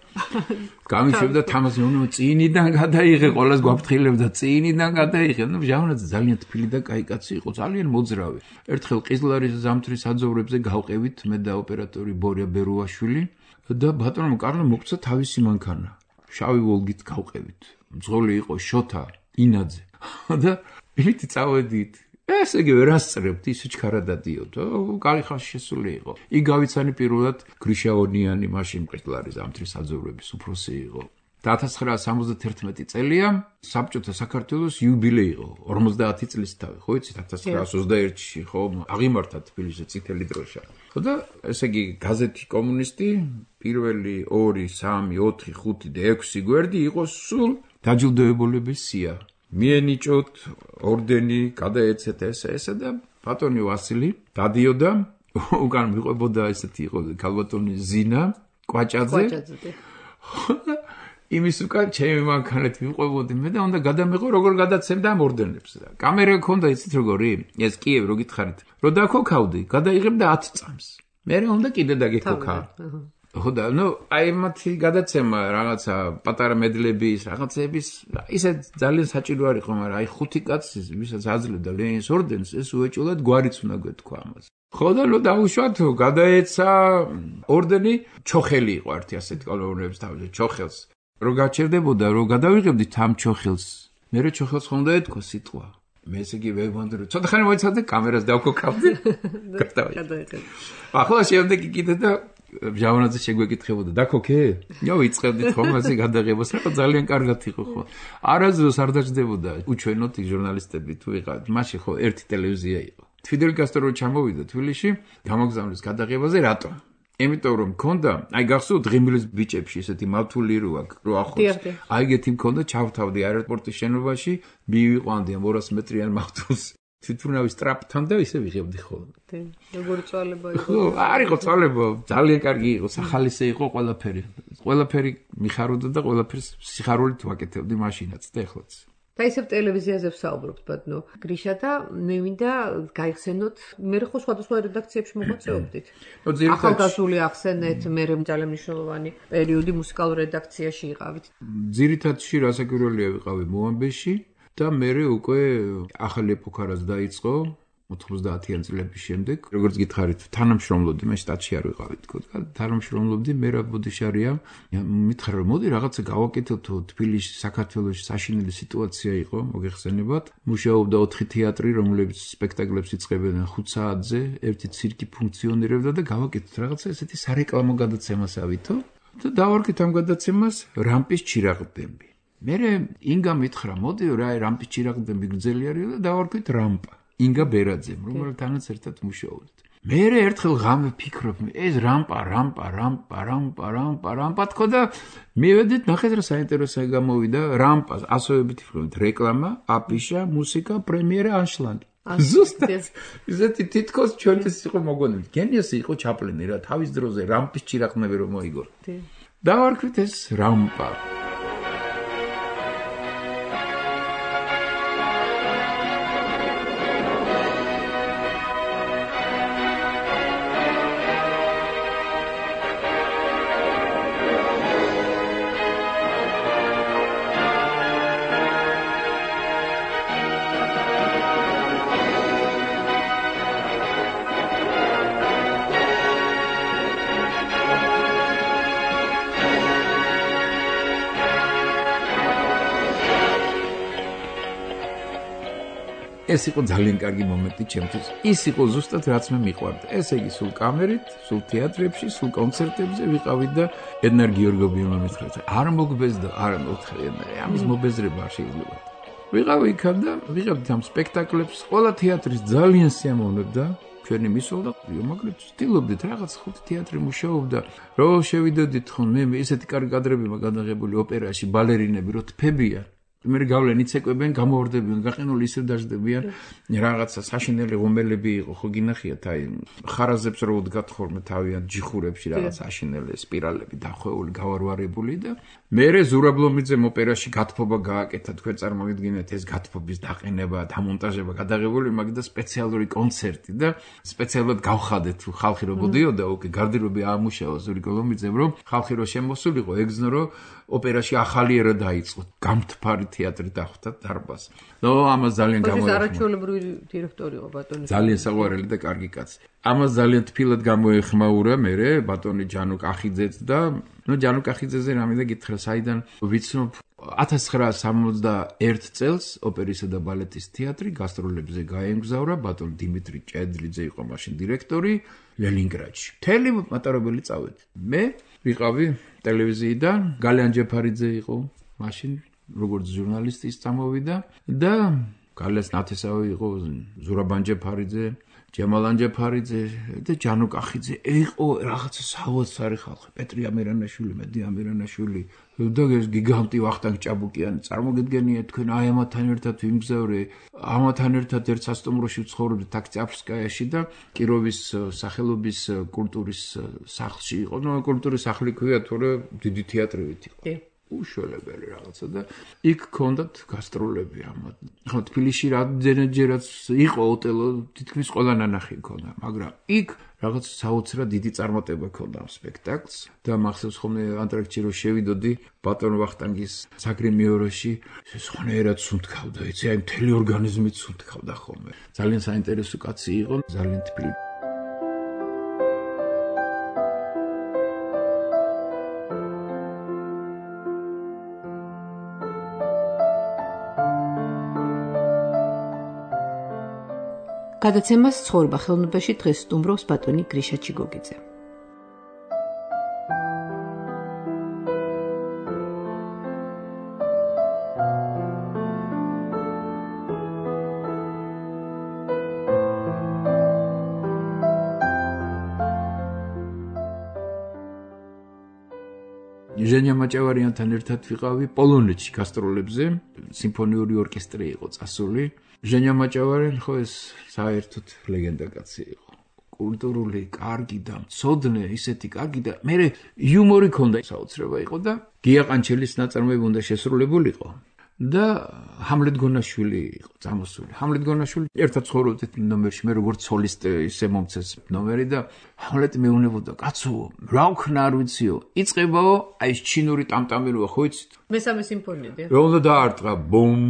გამიშვებდა თამას ეუბნება წინიდან გადაიღე, ყოველას გვაფრთხილებდა წინიდან გადაიღე. ნუ მჟავანაძე ძალიან თბილი და კაი კაცი იყო, ძალიან მოძრავი. ერთხელ ყიზლარის ზამთრის საძოვრებზე გავყევით მე და ოპერატორი ბორია ბერუაშვილი და ბატონმა კარლომ მოგცა თავისი მანქანა. შავი ვოლგით გავყევით. მძღოლი იყო შოთა ინაძე და იმითი წავედით ესე იგი ვერ ასწრებთ ისე ჩქარადადიოთ კარი ხალხი შესული იყო იგავიცანი პირველად გრიშაონიანი მაშინ ყიზლარის ზამთრის საძოვრების უფროსი იყო და ათას ცხრაასი სამოცდათერთმეტი წელია საბჭოთა საქართველოს იუბილეი იყო ორმოცდაათი წლის თავი ხო იცით ათას ცხრაასი ოცდაერთში ხო აღიმართა თბილისში წითელი დროშა ხო და ესე იგი გაზეთი კომუნისტი პირველი ორი სამი ოთხი ხუთი და ექვსი გვერდი იყო სულ დაჯილდოებულების სია მიენიჭოთ ორდენი გადაეცეთ ესე ესე და ბატონი ვასილი დადიოდა უკან მიყვებოდა ესეთი იყო ქალბატონი ზინა კვაჭაძე იმის უკან ჩემი მანქანით მიყვებოდი მე და უნდა გადამეყო როგორ გადაცემდა ამ ორდენებს და კამერა ქონდა იცით როგორი ეს კიევი რო გითხარით რო დაქოქავდი გადაიღებდა ათი წამს მე უნდა კიდე დაგიქოქა ხო და ნუ აი მათი გადაცემა რაღაცა პატარა მედლების რაღაცების ისე ძალიან საჭირო არ იყო მაგრამ აი ხუთი კაცი ვისაც აძლევდა ლენინის ორდენს ეს უეჭულად გვარიც უნდა გვეთქვა ამას ხო და ნუ დაუშვათ გადაეცა ორდენი ჩოხელი იყო ერთი ასეთი კოლონების თავზე ჩოხელს რო გაჩერდებოდა რო გადავიღებდით ამ ჩოხელს მე რო ჩოხელს ხომ დაეთქვა სიტყვა მე ესე იგი ვეუბნები რომ ცოტა ხანი მოიცადე კამერას დავქოქავდი გადავიღე ახლა შემდეგი კიდე და მჟავანაძე შეგვეკითხებოდა დაქოქე? იო ვიწყებდით ხომ ასე გადაღებას რა ძალიან კარგად იყო ხო. არასდროს არ დაждდებოდა უჩვენოთ ის ჟურნალისტები თუ ვიყავით. მაშინ ხო ერთი ტელევიზია იყო. ფიდელ კასტრო ჩამოვიდა თბილისში გამოგზავნის გადაღებაზე რატო? იმიტომ რომ მქონდა, აი გახსოვთ დღიმილის ბიჭებში ესეთი მავთული რო აქ რო ახლოს. აი ეგეთი მქონდა ჩავთავდი აეროპორტის შენობაში, მივიყვანდი ამ ორას მეტრიან მავთულს. თვითმფრინავის ტრაპთან და ისე ვიღებდი ხოლმე. როგორი წვალება იყო? ხო, არ იყო წვალება, ძალიან კარგი იყო, სახალისე იყო ყველაფერი. ყველაფერი მიხაროდა და ყველაფერს სიხარულით ვაკეთებდი მაშინაც და ეხლაც. და ისევ ტელევიზიაზე ვსაუბრობთ, ბატონო გრიშა და მე მინდა გაიხსენოთ, მე ხო სხვადასხვა რედაქციებში მოღვაწეობდით. ახალგაზრდული ახსენეთ, მე ძალიან მნიშვნელოვანი პერიოდი მუსიკალურ რედაქციაში იყავით. ძირითადში რასაკვირველია ვიყავი მოამბეში და მე უკვე ახალი ეპოქა რაც დაიწყო ოთხმოცდაათიან წლების შემდეგ როგორც გითხარით თანამშრომლობდი მე შტატში არ ვიყავი თქო და თანამშრომლობდი მერაბ ბოდიშარია მითხრა რომ მოდი რაღაცა გავაკეთოთ თბილისში საქართველოში საშინელი სიტუაცია იყო მოგეხსენებათ მუშაობდა ოთხი თეატრი რომლებიც სპექტაკლებს იწყებდნენ ხუთ საათზე ერთი ცირკი ფუნქციონირებდა და გავაკეთოთ რაღაცა ესეთი სარეკლამო გადაცემასავითო და დავარქეთ ამ გადაცემას რამპის ჩირაღდები მერე ინგა მითხრა მოდიო რა რამპის ჩირაღდები გრძელი არის და დავარქეთ რამპა ინგა ბერაძემ, რომელთანაც ერთად მუშაობდით. მე ერთხელ ღამე ფიქრობ, ეს რამპა, რამპა, რამპა, რამპა, რამპა, რამპა თქო და მივედით ნახეთ რა საინტერესო გამოვიდა რამპას, ასოებით ვფიქრობთ რეკლამა, აფიშა, მუსიკა, პრემიერა, ანშლაგი. ზუსტად ისეთი თითქოს ჩვენთვის იყო მოგონილი. გენიოსი იყო ჩაპლინი რა, თავის დროზე რამპის ჭირახნები რომ მოიგო. დავარქვით ეს რამპა. ეს იყო ძალიან კარგი მომენტი ჩემთვის. ის იყო ზუსტად რაც მე მიყვარდა. ესე იგი სულ კამერით, სულ თეატრებში, სულ კონცერტებზე ვიყავით და ედნარ გიორგობიევმა მითხრა, არ მოგბეზდა, არ მოგთხრი, ამის მობეზრება არ შეიძლება. ვიყავი იქ და ვიღებდით ამ სპექტაკლებს, ყველა თეატრის ძალიან სიამოვნებდა. ჩვენი მისვლა და მაგრამ ვცდილობდით რაღაც ხუთი თეატრი მუშაობდა. რო შევიდოდით ხოლმე ესეთი კარგი კადრები მაგადაღებული ოპერაში, ბალერინები რო თფებია. მე გავლენ იცეკვებენ, გამოვარდებიან, გაყინული ისევ დაждდებიან. რაღაცა საშინელი ღუმელები იყო, ხო გინახიათ, აი ხარაზებს რო უდგათ ხოლმე თავიანთ ჯიხურებში რაღაც საშინელი სპირალები დახვეული, გავარვარებული და მერე ზურაბლომიძემ ოპერაში გათფობა გააკეთა, თქვენ წარმოგიდგინეთ ეს გათფობის დაყინება, დამონტაჟება გადაღებული, მაგდა სპეციალური კონცერტი და სპეციალურად გავხადეთ, ხალხი რო მოდიოდა, უკე გარდირობი აამუშავა ზურაბლომიძემ, რომ ხალხი რო შემოსულიყო, ეგზნო რომ ოპერაში ახალი ერა დაიწყო. გამთფარი თეატრი დახვდა დარბაზს. ნო, ამას ძალიან გამოეხმო. ეს არაჩვეულებრივი დირექტორი იყო ბატონი. ძალიან საყვარელი და კარგი კაცი. ამას ძალიან თბილად გამოეხმაურა მერე ბატონი ჯანო კახიძეც და ნუ ჯანო კახიძეზე რამე და გითხრა, საიდან ვიცნობ ათას ცხრაასი სამოცდაერთ წელს ოპერისა და ბალეტის თეატრი გასტროლებზე გაემგზავრა, ბატონ დიმიტრი ჭედლიძე იყო მაშინ დირექტორი ლენინგრადში. მთელი მატარებელი წავედი. მე ვიყავი ტელევიზიიდან, გალიან ჯეფარიძე იყო მაშინ როგორც ჟურნალისტის წამოვიდა და გალეს ნათესავი იყო ზურაბან ჯეფარიძე, ჯემალან ჯეფარიძე და ჯანო კახიძე. იყო რაღაცა საოცარი ხალხი, პეტრი ამერანაშვილი, მედი ამერანაშვილი და ეს გიგანტი ვახტანგ ჭაბუკიანი. წარმოგიდგენიათ თქვენ აი ამათთან ერთად ვიმგზავრე, ამათთან ერთად ერთ სასტუმროში ვცხოვრობდი ტაქსიაფსკაიაში და კიროვის სახელობის კულტურის სახლში იყო. ნუ კულტურის სახლი ქვია, თორე დიდი თეატრივით იყო. უშველებელი რაღაცა და იქ ქონდათ გასტროლები ამათ. ხო თბილისში რამდენჯერაც იყო ოტელო, თითქმის ყველა ნანახი ქონდა, მაგრამ იქ რაღაც საოცრად დიდი წარმატება ქონდა ამ სპექტაკლს და მახსოვს ხოლმე ანტრაქტში რო შევიდოდი ბატონ ვახტანგის საგრიმიოროში, სხვანაირად სუნთქავდა, იცი, აი მთელი ორგანიზმით სუნთქავდა ხოლმე. ძალიან საინტერესო კაცი იყო, ძალიან თბილი. გადაცემას ცხოვრება ხელოვნებაში დღეს სტუმრობს ბატონი გრიშა ჩიგოგიძე. ჟენია მაჭავარიანთან ერთად ვიყავი პოლონეთში გასტროლებზე, სიმფონიური ორკესტრი იყო წასული. ჟენია მაჭავარიანი ხო ეს საერთოდ ლეგენდა კაცი იყო. კულტურული, კარგი და მცოდნე, ისეთი კარგი და მერე იუმორი ქონდა, საოცრება იყო და გია ყანჩელის ნაწარმოები უნდა შესრულებულიყო. და ჰამლეტ გონაშვილი იყო წამოსული. ჰამლეტ გონაშვილი ერთად ცხოვრობდით ნომერში, მე როგორც სოლისტი ისე მომცეს ნომერი და ჰამლეტი მეუნებოდა, კაცო, რა ვქნა არ ვიციო, იწყებაო, აი ეს ჩინური ტამტამიროა, ხო იცით? მესამე სიმფონია. რა უნდა დაარტყა, ბუმ.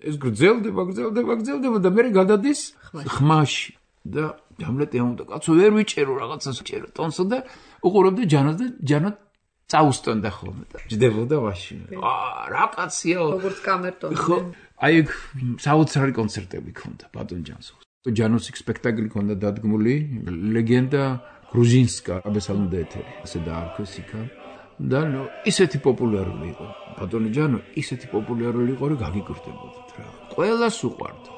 ეს გრძელდება, გრძელდება, გრძელდება და მე გადადის ხმაში. და ჰამლეტი ამბობდა, კაცო, ვერ ვიჭერო რაღაცას, ვიჭერო ტონსო და უყურებდი ჯანოს და ჯანო წაუსტონდა ხოლმე და ჯდებოდა მაშინ. აა, რა კაცია. როგორც კამერტონი. ხო, აი საოცრარი კონცერტები ქონდა ბატონ ჯანს. ჯანოს სპექტაკლი ქონდა დადგმული, ლეგენდა გრუჟინსკა, აბესალმდა ეთერი, ასე დაარქვეს იქა. და ნუ ისეთი პოპულარული იყო. ბატონი ჯანო ისეთი პოპულარული იყო, რომ გაგიგრდებოდით რა. ყველას უყვარდა.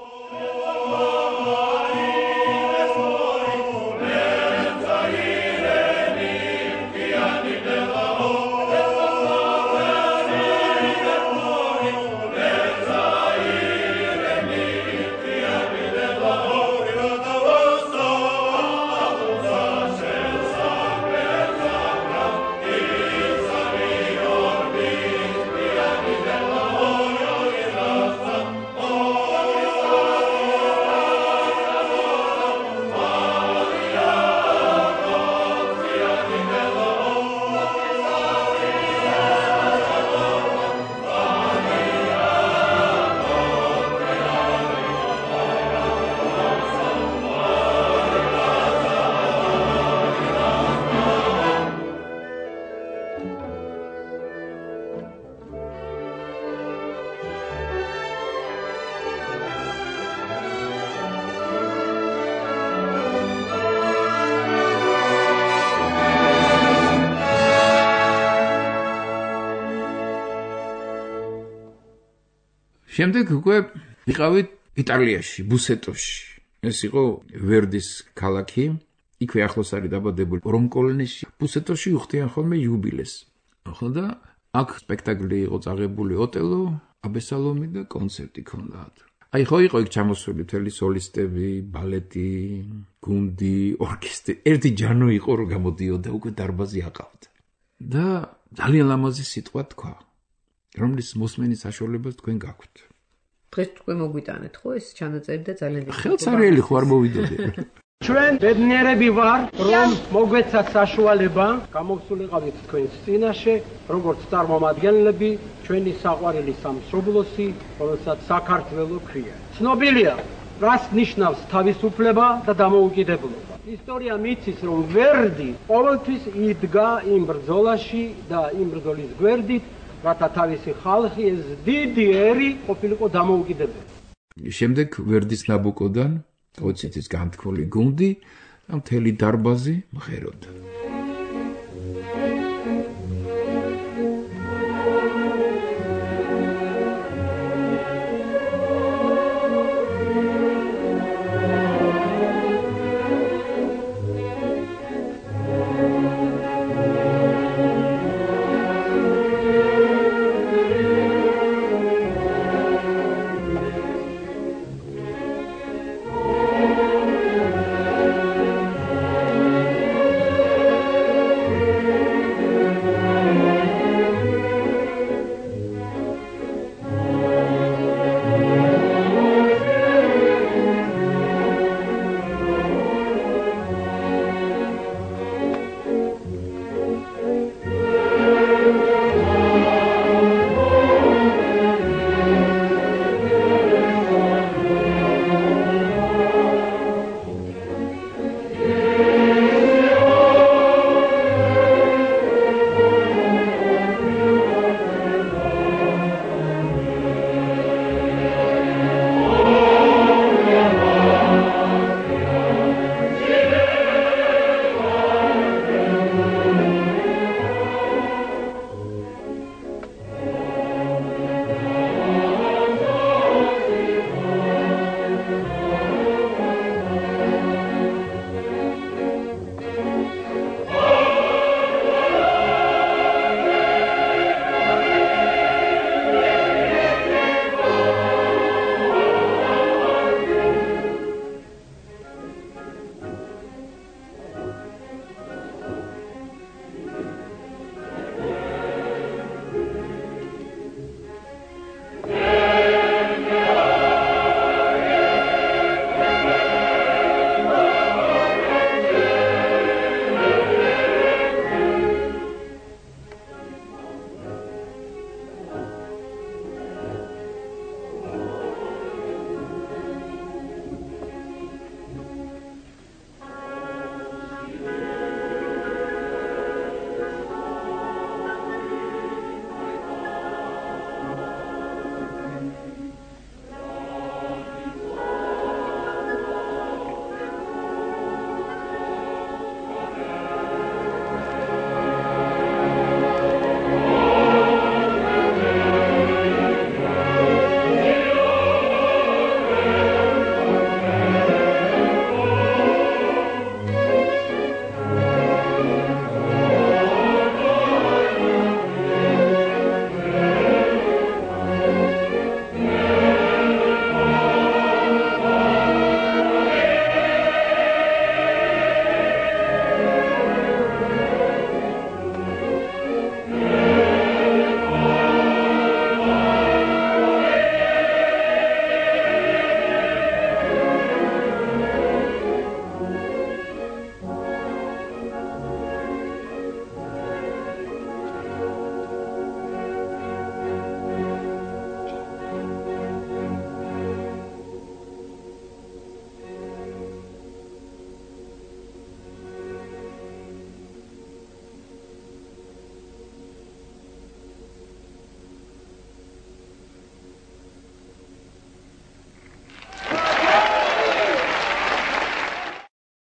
შემდეგ უკვე ვიყავით იტალიაში, ბუსეტოში. ეს იყო ვერდის ქალაქი. იქვე ახლოს არის დაბადებული რონკოლნეში. ბუსეტოში უხდიან ხოლმე იუბილეს. ხო და აქ სპექტაკლი იყო წაღებული ოტელო, აბესალომი და კონცერტი ქონდათ. აი ხო იყო იქ ჩამოსული მთელი სოლისტები, ბალეტი, გუნდი, ორკესტრი. ერთი ჯანო იყო რომ გამოდიოდა უკვე დარბაზი აყავდა. და ძალიან ლამაზი სიტყვა თქვა, რომლის მოსმენის საშუალებას თქვენ გაქვთ. დღეს თქვენ მოგვიტანეთ ხო ეს ჩანაწერი და ძალიან დიდი ხელსარიელი ხო არ მოვიდოდი. ჩვენ ბედნიერები ვარ, რომ მოგვეცათ საშუალება გამოვსულიყავით თქვენს წინაშე, როგორც წარმომადგენლები ჩვენი საყვარელი სამშობლოსი, რომელსაც საქართველო ქვია. ცნობილია, რას ნიშნავს თავისუფლება და დამოუკიდებლობა. ისტორია მიცის, რომ ვერდი ყოველთვის იდგა იმ ბრძოლაში და იმ ბრძოლის გვერდით, რათა თავისი ხალხი ეს დიდი ერი ყოფილიყო დამოუკიდებელი. შემდეგ ვერდის ნაბუკოდან ოცეთის განთქმული გუნდი და მთელი დარბაზი მღეროდა.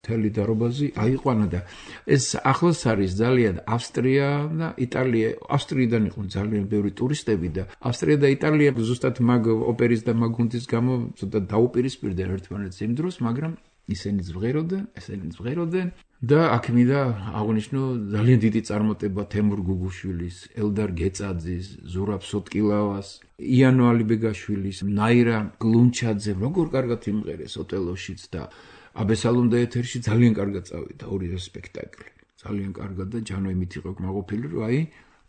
მთელი დარობაზი აიყვანა და ეს ახლოს არის ძალიან ავსტრია და იტალია. ავსტრიიდან იყვნენ ძალიან ბევრი ტურისტები და ავსტრია და იტალია ზუსტად მაგ ოპერის და მაგ გუნდის გამო ცოტა დაუპირისპირდნენ ერთმანეთს იმ დროს, მაგრამ ისინი ზღეროდნენ, ესენი ზღეროდნენ და აქ მინდა აღვნიშნო ძალიან დიდი წარმატება თემურ გუგუშვილის, ელდარ გეწაძის, ზურაბ სოტკილავას, იანო ალიბეგაშვილის, ნაირა გლუნჩაძე, როგორ კარგად იმღერეს ოტელოშიც და აბესალომ და ეთერში ძალიან კარგად წავიდა ორი სპექტაკლი. ძალიან კარგად და ჯანო იმით იყო კმაყოფილი, რომ აი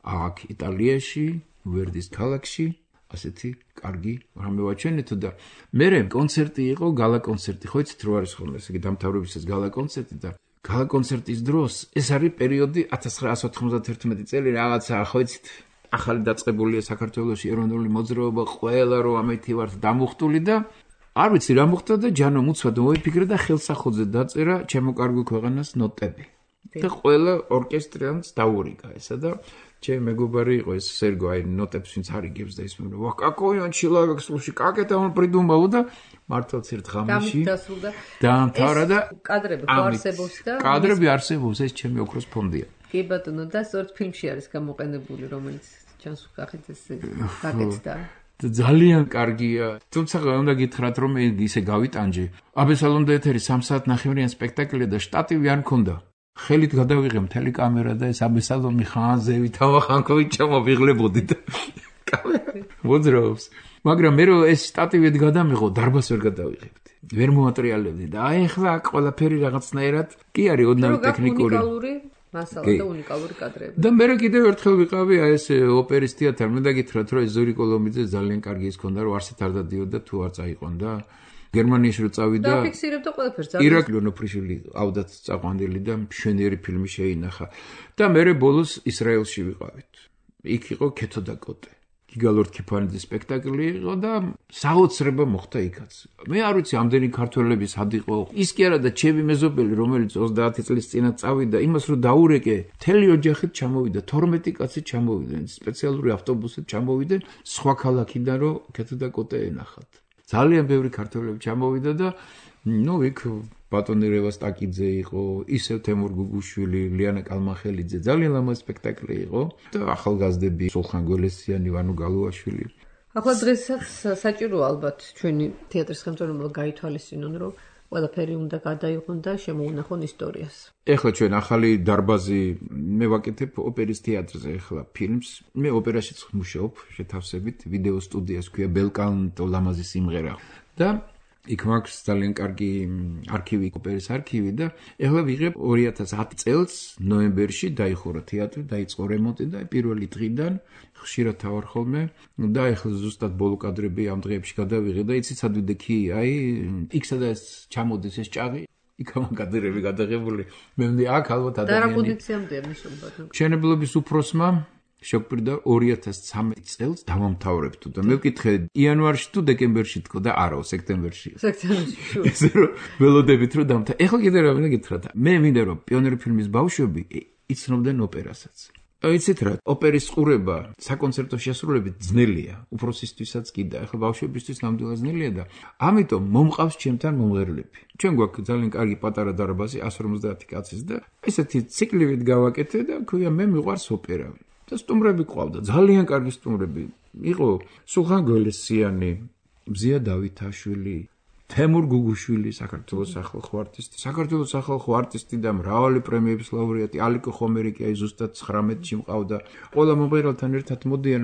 აქ იტალიაში, ვერდის ქალაქში ასეთი კარგი რამე ვაჩვენეთო და მერე კონცერტი იყო, გალა კონცერტი, ხო იცით რო არის ხოლმე, ესე იგი დამთავრებისას გალა კონცერტი და გალა კონცერტის დროს ეს არის პერიოდი ათას ცხრაასი ოთხმოცდათერთმეტი წელი რაღაცა, ხო იცით, ახალი დაწყებულია საქართველოში ეროვნული მოძრაობა, ყველა რო ამეთი ვართ დამუხტული და არ ვიცი რა მოხდა და ჯანო მუცვად მოიფიქრე და ხელსახოძე დაწერა ჩემო კარგო ქვეყანას ნოტები. და ყველა ორკესტრიანს დაურიგა ესა და ჩემი მეგობარი იყო ეს სერგო აი ნოტებს ვინც არიგებს და ის მე ვა какой он человек слушай как это он придумал და მართლაც ერთ ღამეში დაამთავრა და კადრები ხო არსებობს და კადრები არსებობს ეს ჩემი ოქროს ფონდია. კი ბატონო და სწორედ ფილმში არის გამოყენებული რომელიც ჩანს ვკახეთ ეს გაკეთდა. ძალიან კარგია. თუმცა უნდა გითხრათ რომ ისე გავიტანჯე. აბესალომ და ეთერი სამ საათ ნახევრიან სპექტაკლია და შტატივი არ მქონდა. ხელით გადავიღე მთელი კამერა და ეს აბესალომი ხანზევით ავახანკოვით ჩამოვიღლებოდი და კამერა მოძრაობს. მაგრამ მე რომ ეს შტატივით გადამიღო, დარბას ვერ გადავიღებდი. ვერ მოატრიალებდი და აი ახლა ყველაფერი რაღაცნაირად კი არის ოდნავ ტექნიკური მასალა და უნიკალური კადრები. და მე კიდევ ერთხელ ვიყავი აი ეს ოპერის თეატრ, მე დაგითხრათ რომ ეს ზური კოლომიძე ძალიან კარგი ის ქონდა რომ არსით არ დადიოდა თუ არ წაიყვანდა. გერმანიაში რო წავიდა და ფიქსირებდა ყველაფერს. ირაკლი ნოფრიშვილი ავდათ წაყვანილი და მშვენიერი ფილმი შეინახა. და მე ბოლოს ისრაელში ვიყავით. იქ იყო ქეთო და კოტე. გიგალორ ქიფანიძის სპექტაკლი იყო და საოცრება მოხდა იქაც. მე არ ვიცი ამდენი ქართველები სად იყო. ის კი არა და ჩემი მეზობელი რომელიც ოცდაათი წლის წინათ წავიდა, იმას რო დაურეკე, მთელი ოჯახით ჩამოვიდა, თორმეტი კაცი ჩამოვიდნენ, სპეციალური ავტობუსით ჩამოვიდნენ სხვა ქალაქიდან რომ ქეთო და კოტე ენახათ. ძალიან ბევრი ქართველები ჩამოვიდა და ნუ იქ ბატონი რევასტაკიძე იყო, ისევ თემურ გუგუშვილი, ლიანა კალმახელიძე, ძალიან ლამაზ სპექტაკლი იყო და ახალგაზრდები სულხან გველესიანი, ვანო გალუაშვილი. ახლა დღესაც საჭიროა ალბათ ჩვენი თეატრის ხელმძღვანელმა გაითვალისწინონ, რომ ყველაფერი უნდა გადაიღონ და შემოუნახონ ისტორიას. ეხლა ჩვენ ახალი დარბაზი მე ვაკეთებ ოპერის თეატრზე ეხლა ფილმს. მე ოპერაშიც მუშაობ შეთავსებით, ვიდეო სტუდიას ქვია ბელკანტო ლამაზი სიმღერა. და იქ მაქვს ძალიან კარგი არქივი, ოპერის არქივი და ეხლა ვიღებ ორი ათას ათი წელს ნოემბერში დაიხურა თეატრი, დაიწყო რემონტი და პირველი დღიდან ხშირად თავარ ხოლმე და ეხლა ზუსტად ბოლო კადრები ამ დღეებში გადავიღე და იცით სად ვიდექი, აი იქ სადაც ჩამოდის ეს ჭაღი, იქ ამ კადრები გადაღებული. მე მგონი აქ ალბათ ადამიანი. და რა პოზიციამდეა მისულობად? მშენებლობის უფროსმა შეგპირდა ორი ათას ცხრამეტი წელს დავამთავრებთ და მე ვკითხე იანვარში თუ დეკემბერში თქო და არა სექტემბერში. სექტემბერში. ესე რომ ველოდებით რომ დამთა. ეხლა კიდე რა მინდა გითხრათ. მე მინდა რომ პიონერი ფილმის ბავშვები იცნობდნენ ოპერასაც. იცით რა, ოპერის ყურება საკონცერტო შესრულებით ძნელია, უფროსისთვისაც კი და ეხლა ბავშვებისთვის ნამდვილად ძნელია და ამიტომ მომყავს ჩემთან მომღერლები. ჩვენ გვაქვს ძალიან კარგი პატარა დარბაზი εκατს ორმოცდაათი კაცის და ესეთი ციკლივით გავაკეთე და ქვია მე მიყვარს ოპერა. და სტუმრები ყავდა, ძალიან კარგი სტუმრები. იყო სულხან გველესიანი, მზია დავითაშვილი, თემურ გუგუშვილი, საქართველოს სახალხო არტისტი, საქართველოს სახალხო არტისტი და მრავალი პრემიების ლაურეატი, ალიკო ხომერიკი, აი ზუსტად ცხრამეტში მყავდა. ყველა მომღერალთან ერთად მოდიან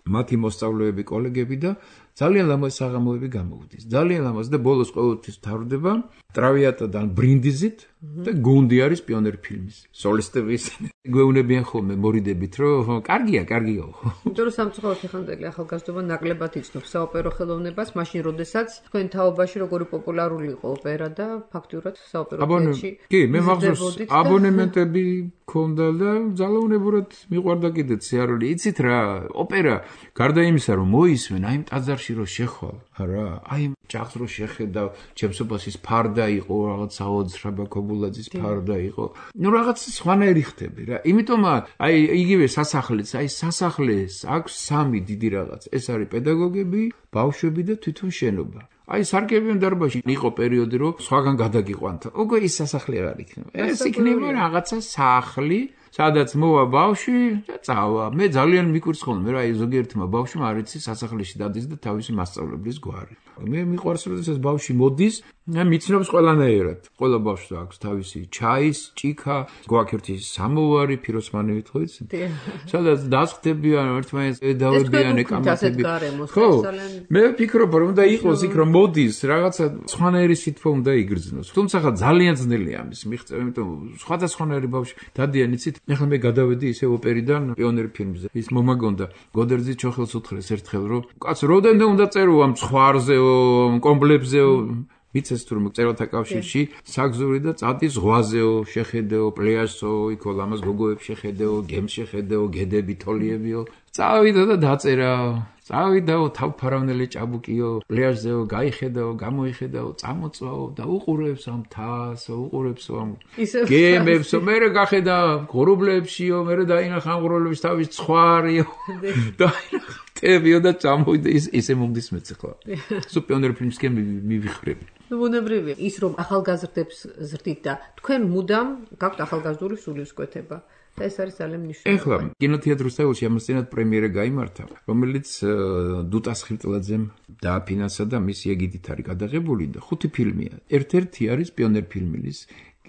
მათი მოსწავლეები, კოლეგები და ძალიან ლამაზ საღამოები გამოვდის. ძალიან ლამაზ და ბოლოს ყოველთვის თავდება ტრავიატადან ბრინდიზით და გუნდი არის პიონერ ფილმის. სოლისტები ისინი. გვეუბნებიან ხოლმე მორიდებით, რომ კარგია, კარგია. იმიტომ რომ სამწუხაროდ ეხანდელი ახალგაზრდობა ნაკლებად იცნობს საოპერო ხელოვნებას, მაშინ როდესაც თქვენ თაობაში როგორი პოპულარული იყო ოპერა და ფაქტურად საოპერო თეატრში. კი, მე მახსოვს აბონემენტები ქონდა და ძალაუნებურად მიყვარდა კიდეც სიარული. იცით რა, ოპერა გარდა იმისა, რომ მოისმენ, აი ტაძარში რო შეხვალ, რა, აი ჭაღს რო შეხედავ, ჩემსობასის ფარდა იყო, რაღაც საოცრება კობულაძის ფარდა იყო. ნუ რაღაც სხვანაირი ხდები რა. იმიტომ აი იგივე სასახლეც, აი სასახლეს აქვს სამი დიდი რაღაც. ეს არის პედაგოგები, ბავშვები და თვითონ შენობა. აი სარკევიან დარბაზში იყო პერიოდი, რომ სხვაგან გადაგიყვანთ. უკვე ის სასახლე აღარ იქნება. ეს იქნება რაღაცა სახლი, სადაც მოვა ბავშვი და წავა. მე ძალიან მიკურცხონდა, მე რა ზოგიერთმა ბავშვმა არ იცი სასახლეში დადის და თავისი მასწავლებლის გვარი. მე მიყვარს, როდესაც ბავშვი მოდის, მიცნობს ყველანაირად. ყველა ბავშვს აქვს თავისი ჩაის, ჭიქა, გვაქვს ერთი სამოვარი, ფიროსმანივით ხო იცი? სადაც დასხდებიან ერთმანეთს, ედავებიან, ეკამათები. ხო, მე ვფიქრობ, რომ უნდა იყოს იქ რომ მოდის, რაღაცა სხვანაირი სითბო უნდა იგრძნოს. თუმცა ხა ძალიან ძნელია ამის მიღწევა, იმიტომ სხვადასხვანაირი ბავშვი დადიან იცით. ეხლა მე გადავედი ისე ოპერიდან პიონერი ფილმზე. ის მომაგონდა გოდერძი ჩოხელს უთხრეს ერთხელ, რომ კაც როდენდე უნდა წერო ამ ცხვარზეო, კომბლებზეო ვიცეს თუ რომ წერალთა კავშირში საგზური და წადი ზღვაზეო, შეხედეო, პლეაჟსო, იქო ლამაზ გოგოებს შეხედეო, გემს შეხედეო, გედები, თოლიებიო. წავიდა და დაწერა. წავიდაო, თავფარავნელი ჭაბუკიო, პლეაჟზეო, გაიხედაო, გამოიხედაო, წამოწვაო და უყურებს ამ თასო, უყურებსო ამ გემებსო, მერე გახედა ღრუბლებშიო, მერე დაინახა ამ ღრუბლებში თავის ცხვარიო. დაინახა ტებიო და წამოვიდა ის ისე მომდის მეც ახლა. სულ პიონერი ფილმსკენ მივიხრები. ბუნებრივია ის რომ ახალგაზრდებს ზრდით და თქვენ მუდამ გაქვთ ახალგაზრდული სულისკვეთება. და ეს არის ძალიან მნიშვნელოვანი. ეხლა კინოთეატր რუსთაველში ამასთანავ პრემიერა გაიმართა, რომელიც დუტას ხილტლაძემ დააფინანსა და მისი ეგიდით არის გადაღებული და ხუთი ფილმია. ერთ-ერთი არის პიონერ ფილმის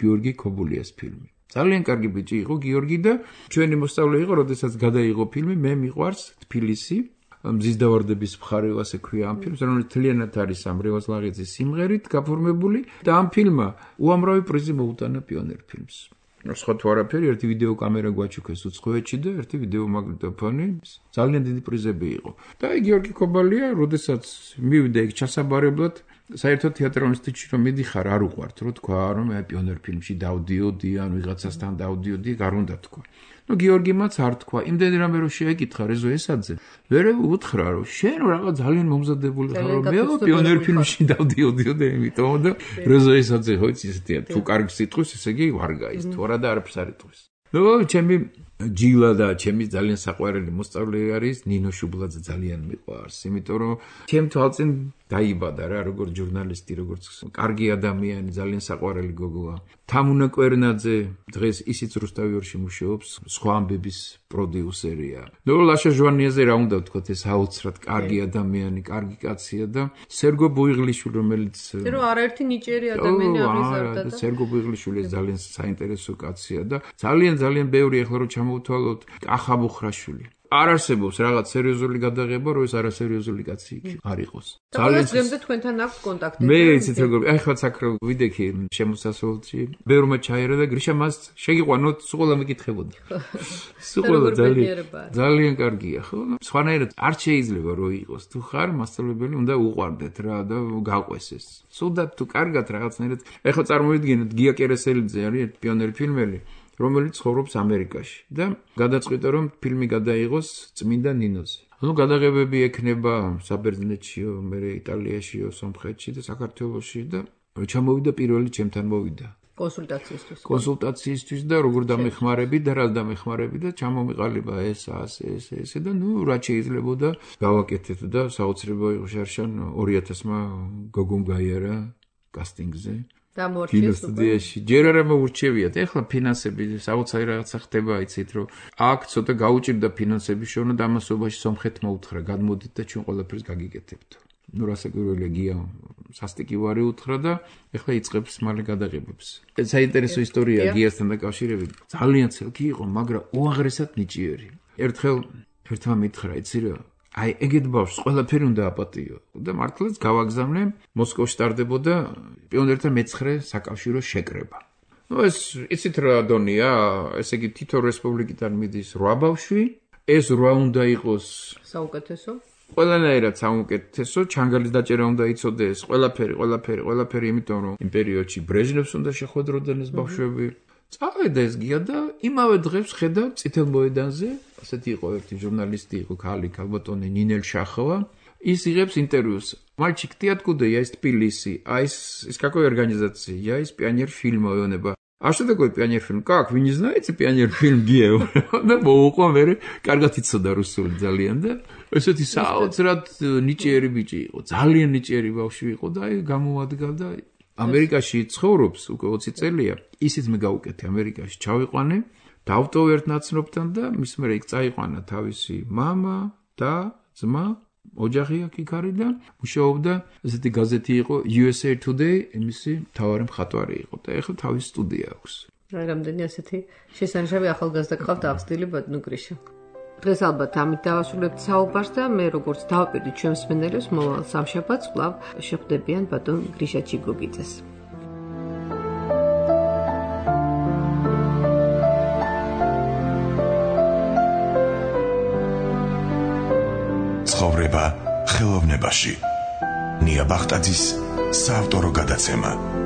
გიორგი ქობულიას ფილმი. ძალიან კარგი ბიჭი იყო გიორგი და ჩვენი მოსწავლე იყო, როდესაც გადაიღო ფილმი, მე მიყვარს თბილისი. მზის დავარდების მხარე ასე ქვია ამ ფილმს, რომელიც თლიანად არის ამ რევაზ ლაღიძის სიმღერით გაფორმებული და ამ ფილმმა უამრავი პრიზი მოუტანა პიონერ ფილმს. სხვა თუ არაფერი, ერთი ვიდეო კამერა გვაჩუქეს უცხოეთში და ერთი ვიდეო მაგნიტოფონი, ძალიან დიდი პრიზები იყო. და აი გიორგი ქობალია, როდესაც მივიდა იქ ჩასაბარებლად, საერთოდ თეატრალურ ინსტიტუტში რომ მიდიხარ, არ უყვართ, რომ თქვა, რომ აი პიონერ ფილმში დავდიოდი, ან ვიღაცასთან დავდიოდი, არ უნდა თქვა. ნუ გიორგიმაც არ თქვა, იმდენი რამე რომ შეეკითხა რეზო ესაძე, ვერე უთხრა, რომ შენ რაღაც ძალიან მომზადებული ხარ, რომ მე პიონერ ფილმში დავდიოდიო და იმიტომ და რეზო ესაძე ხო იცი ესეთია, თუ კარგი სიტყვის, ესე იგი ვარ გაის, თუ არა და არაფერს არ იტყვის. ნუ ჩემი ჯილა და ჩემი ძალიან საყვარელი მოსწავლე არის ნინო შუბლაძე, ძალიან მიყვარს, იმიტომ რომ ჩემ თვალწინ დაიბადა რა, როგორც ჟურნალისტი, როგორც კარგი ადამიანი, ძალიან საყვარელი გოგოა. თამუნა კვერნაძე დღეს ისიც რუსთავიორში მუშაობს, სხვა ამბების პროდიუსერია. ნუ ლაშა ჟვანიაზე რა უნდა ვთქვათ, ეს აუცრად კარგი ადამიანი, კარგი კაცია და სერგო ბუიღლიშვილი, რომელიც რომ არაერთი ნიჭიერი ადამიანი აღიზარდა და სერგო ბუიღლიშვილი ძალიან საინტერესო კაცია და ძალიან ძალიან ბევრი ახლა რომ ჩამოვთვალოთ, კახა მუხრაშვილი. არ არსებობს რაღაც სერიოზული გადაღება, რომ ეს არასერიოზული კაცი იქ არ იყოს. ძალიან ძემდე თქვენთან აქვს კონტაქტი. მე იცით როგორ, აი ხლა საკრო ვიდექი შემოსასვლელში, ბევრმა ჩაერა და გრიშა მას შეგიყვანოთ, სულ ყველა მეკითხებოდა. სულ ყველა ძალიან ძალიან კარგია, ხო? სხვანაირად არ შეიძლება რომ იყოს. თუ ხარ მასწავლებელი, უნდა უყვარდეთ რა და გაყვეს ეს. სულდად თუ კარგად რაღაცნაირად. ეხლა წარმოვიდგინეთ გია კერესელიძე არის პიონერი ფილმელი. რომელიც ცხოვრობს ამერიკაში და გადაწყვიტა რომ ფილმი გადაიღოს წმინდა ნინოზე. ანუ გადაღებები ექნება საბერძნეთშიო, მერე იტალიაშიო, სომხეთში და საქართველოში და ჩამოვიდა პირველი ჩემთან მოვიდა. კონსულტაციისთვის. კონსულტაციისთვის და როგორ დამეხმარები და რა დამეხმარები და ჩამომიყალიბა ეს ასე ეს ესე და ნუ რა შეიძლებოდა გავაკეთეთ და საოცრებო იყო შარშან ორი ათასმა გოგომ გაიარა კასტინგზე. კინოსტუდიაში ჯერ არ მოურჩევიათ. ეხლა ფინანსები საოცარი რაღაცა ხდება, იცით რომ აქ ცოტა გაუჭირდა ფინანსები შორნა და ამასობაში სომხეთმა უთხრა, გადმოდით და ჩვენ ყველაფერს გაგიკეთებთ. ნუ რასაკვირველია გია სასტიკი ვარი უთხრა და ეხლა იწყებს მალე გადაღებებს. საინტერესო ისტორია გიასთან დაკავშირებით. ძალიან ცელკი იყო, მაგრამ უაღრესად ნიჭიერი. ერთხელ ერთმა მითხრა, იცი რა, აი ეგეთ ბავშვს ყველაფერი უნდა აპატიო და მართლაც გავაგზავნე მოსკოვში ტარდებოდა პიონერთა მეცხრე საკავშირო შეკრება. ნუ ეს იცით რა დონია, ესე იგი თითო რესპუბლიკიდან მიდის რვა ბავშვი, ეს რვა უნდა იყოს საუკეთესო. ყველანაირად საუკეთესო, ჩანგალის დაჭერა უნდა იცოდეს, ყველაფერი, ყველაფერი, ყველაფერი, იმიტომ რომ იმ პერიოდში ბრეჟნევს უნდა შეხვედროდნენ ეს ბავშვები. წავედა ეს გია და იმავე დღეს ხედავ წითელ მოედანზე, ასეთი იყო ერთი ჟურნალისტი იყო ქალი, ქალბატონი ნინელ შახოვა, ის იღებს ინტერვიუს. Мальчик, ты откуда? Я из Тбилиси. А из из какой организации? Я из Пионер фильма, он А что такое пионер-фильм? Как? Вы не знаете пионер-фильм Гео? Да, მოუყვა მე, კარგად იცოდა რუსული ძალიან და ესეთი საოცრად ნიჭიერი ბიჭი იყო. ძალიან ნიჭიერი ბავშვი იყო და აი გამოადგა და ამერიკაში ცხოვრობს უკვე ოცი წელია. ისიც მე გავუკეთე ამერიკაში ჩავიყვანე, დავტოვე ერთ ნაცნობთან და მის მერე იქ წაიყვანა თავისი მამა და ძმა, ოჯახი აქ იქ არიდან, მუშაობდა ესეთი გაზეთი იყო U S A Today, იმისი მთავარი მხატვარი იყო და ეხლა თავის სტუდია აქვს. აი რამდენი ასეთი შესანიშნავი ახალგაზრდა გყავთ აღზრდილი ბატონო გრიშა. დღეს ალბათ ამით დავასრულებთ საუბარს და მე როგორც დავაპირდი ჩვენს მსმენელებს მოვალ სამშაბათს კვლავ შეხვდებიან ბატონ გრიშა ჩიგოგიძეს. ცხოვრება ხელოვნებაში. ნია ბახტაძის საავტორო გადაცემა.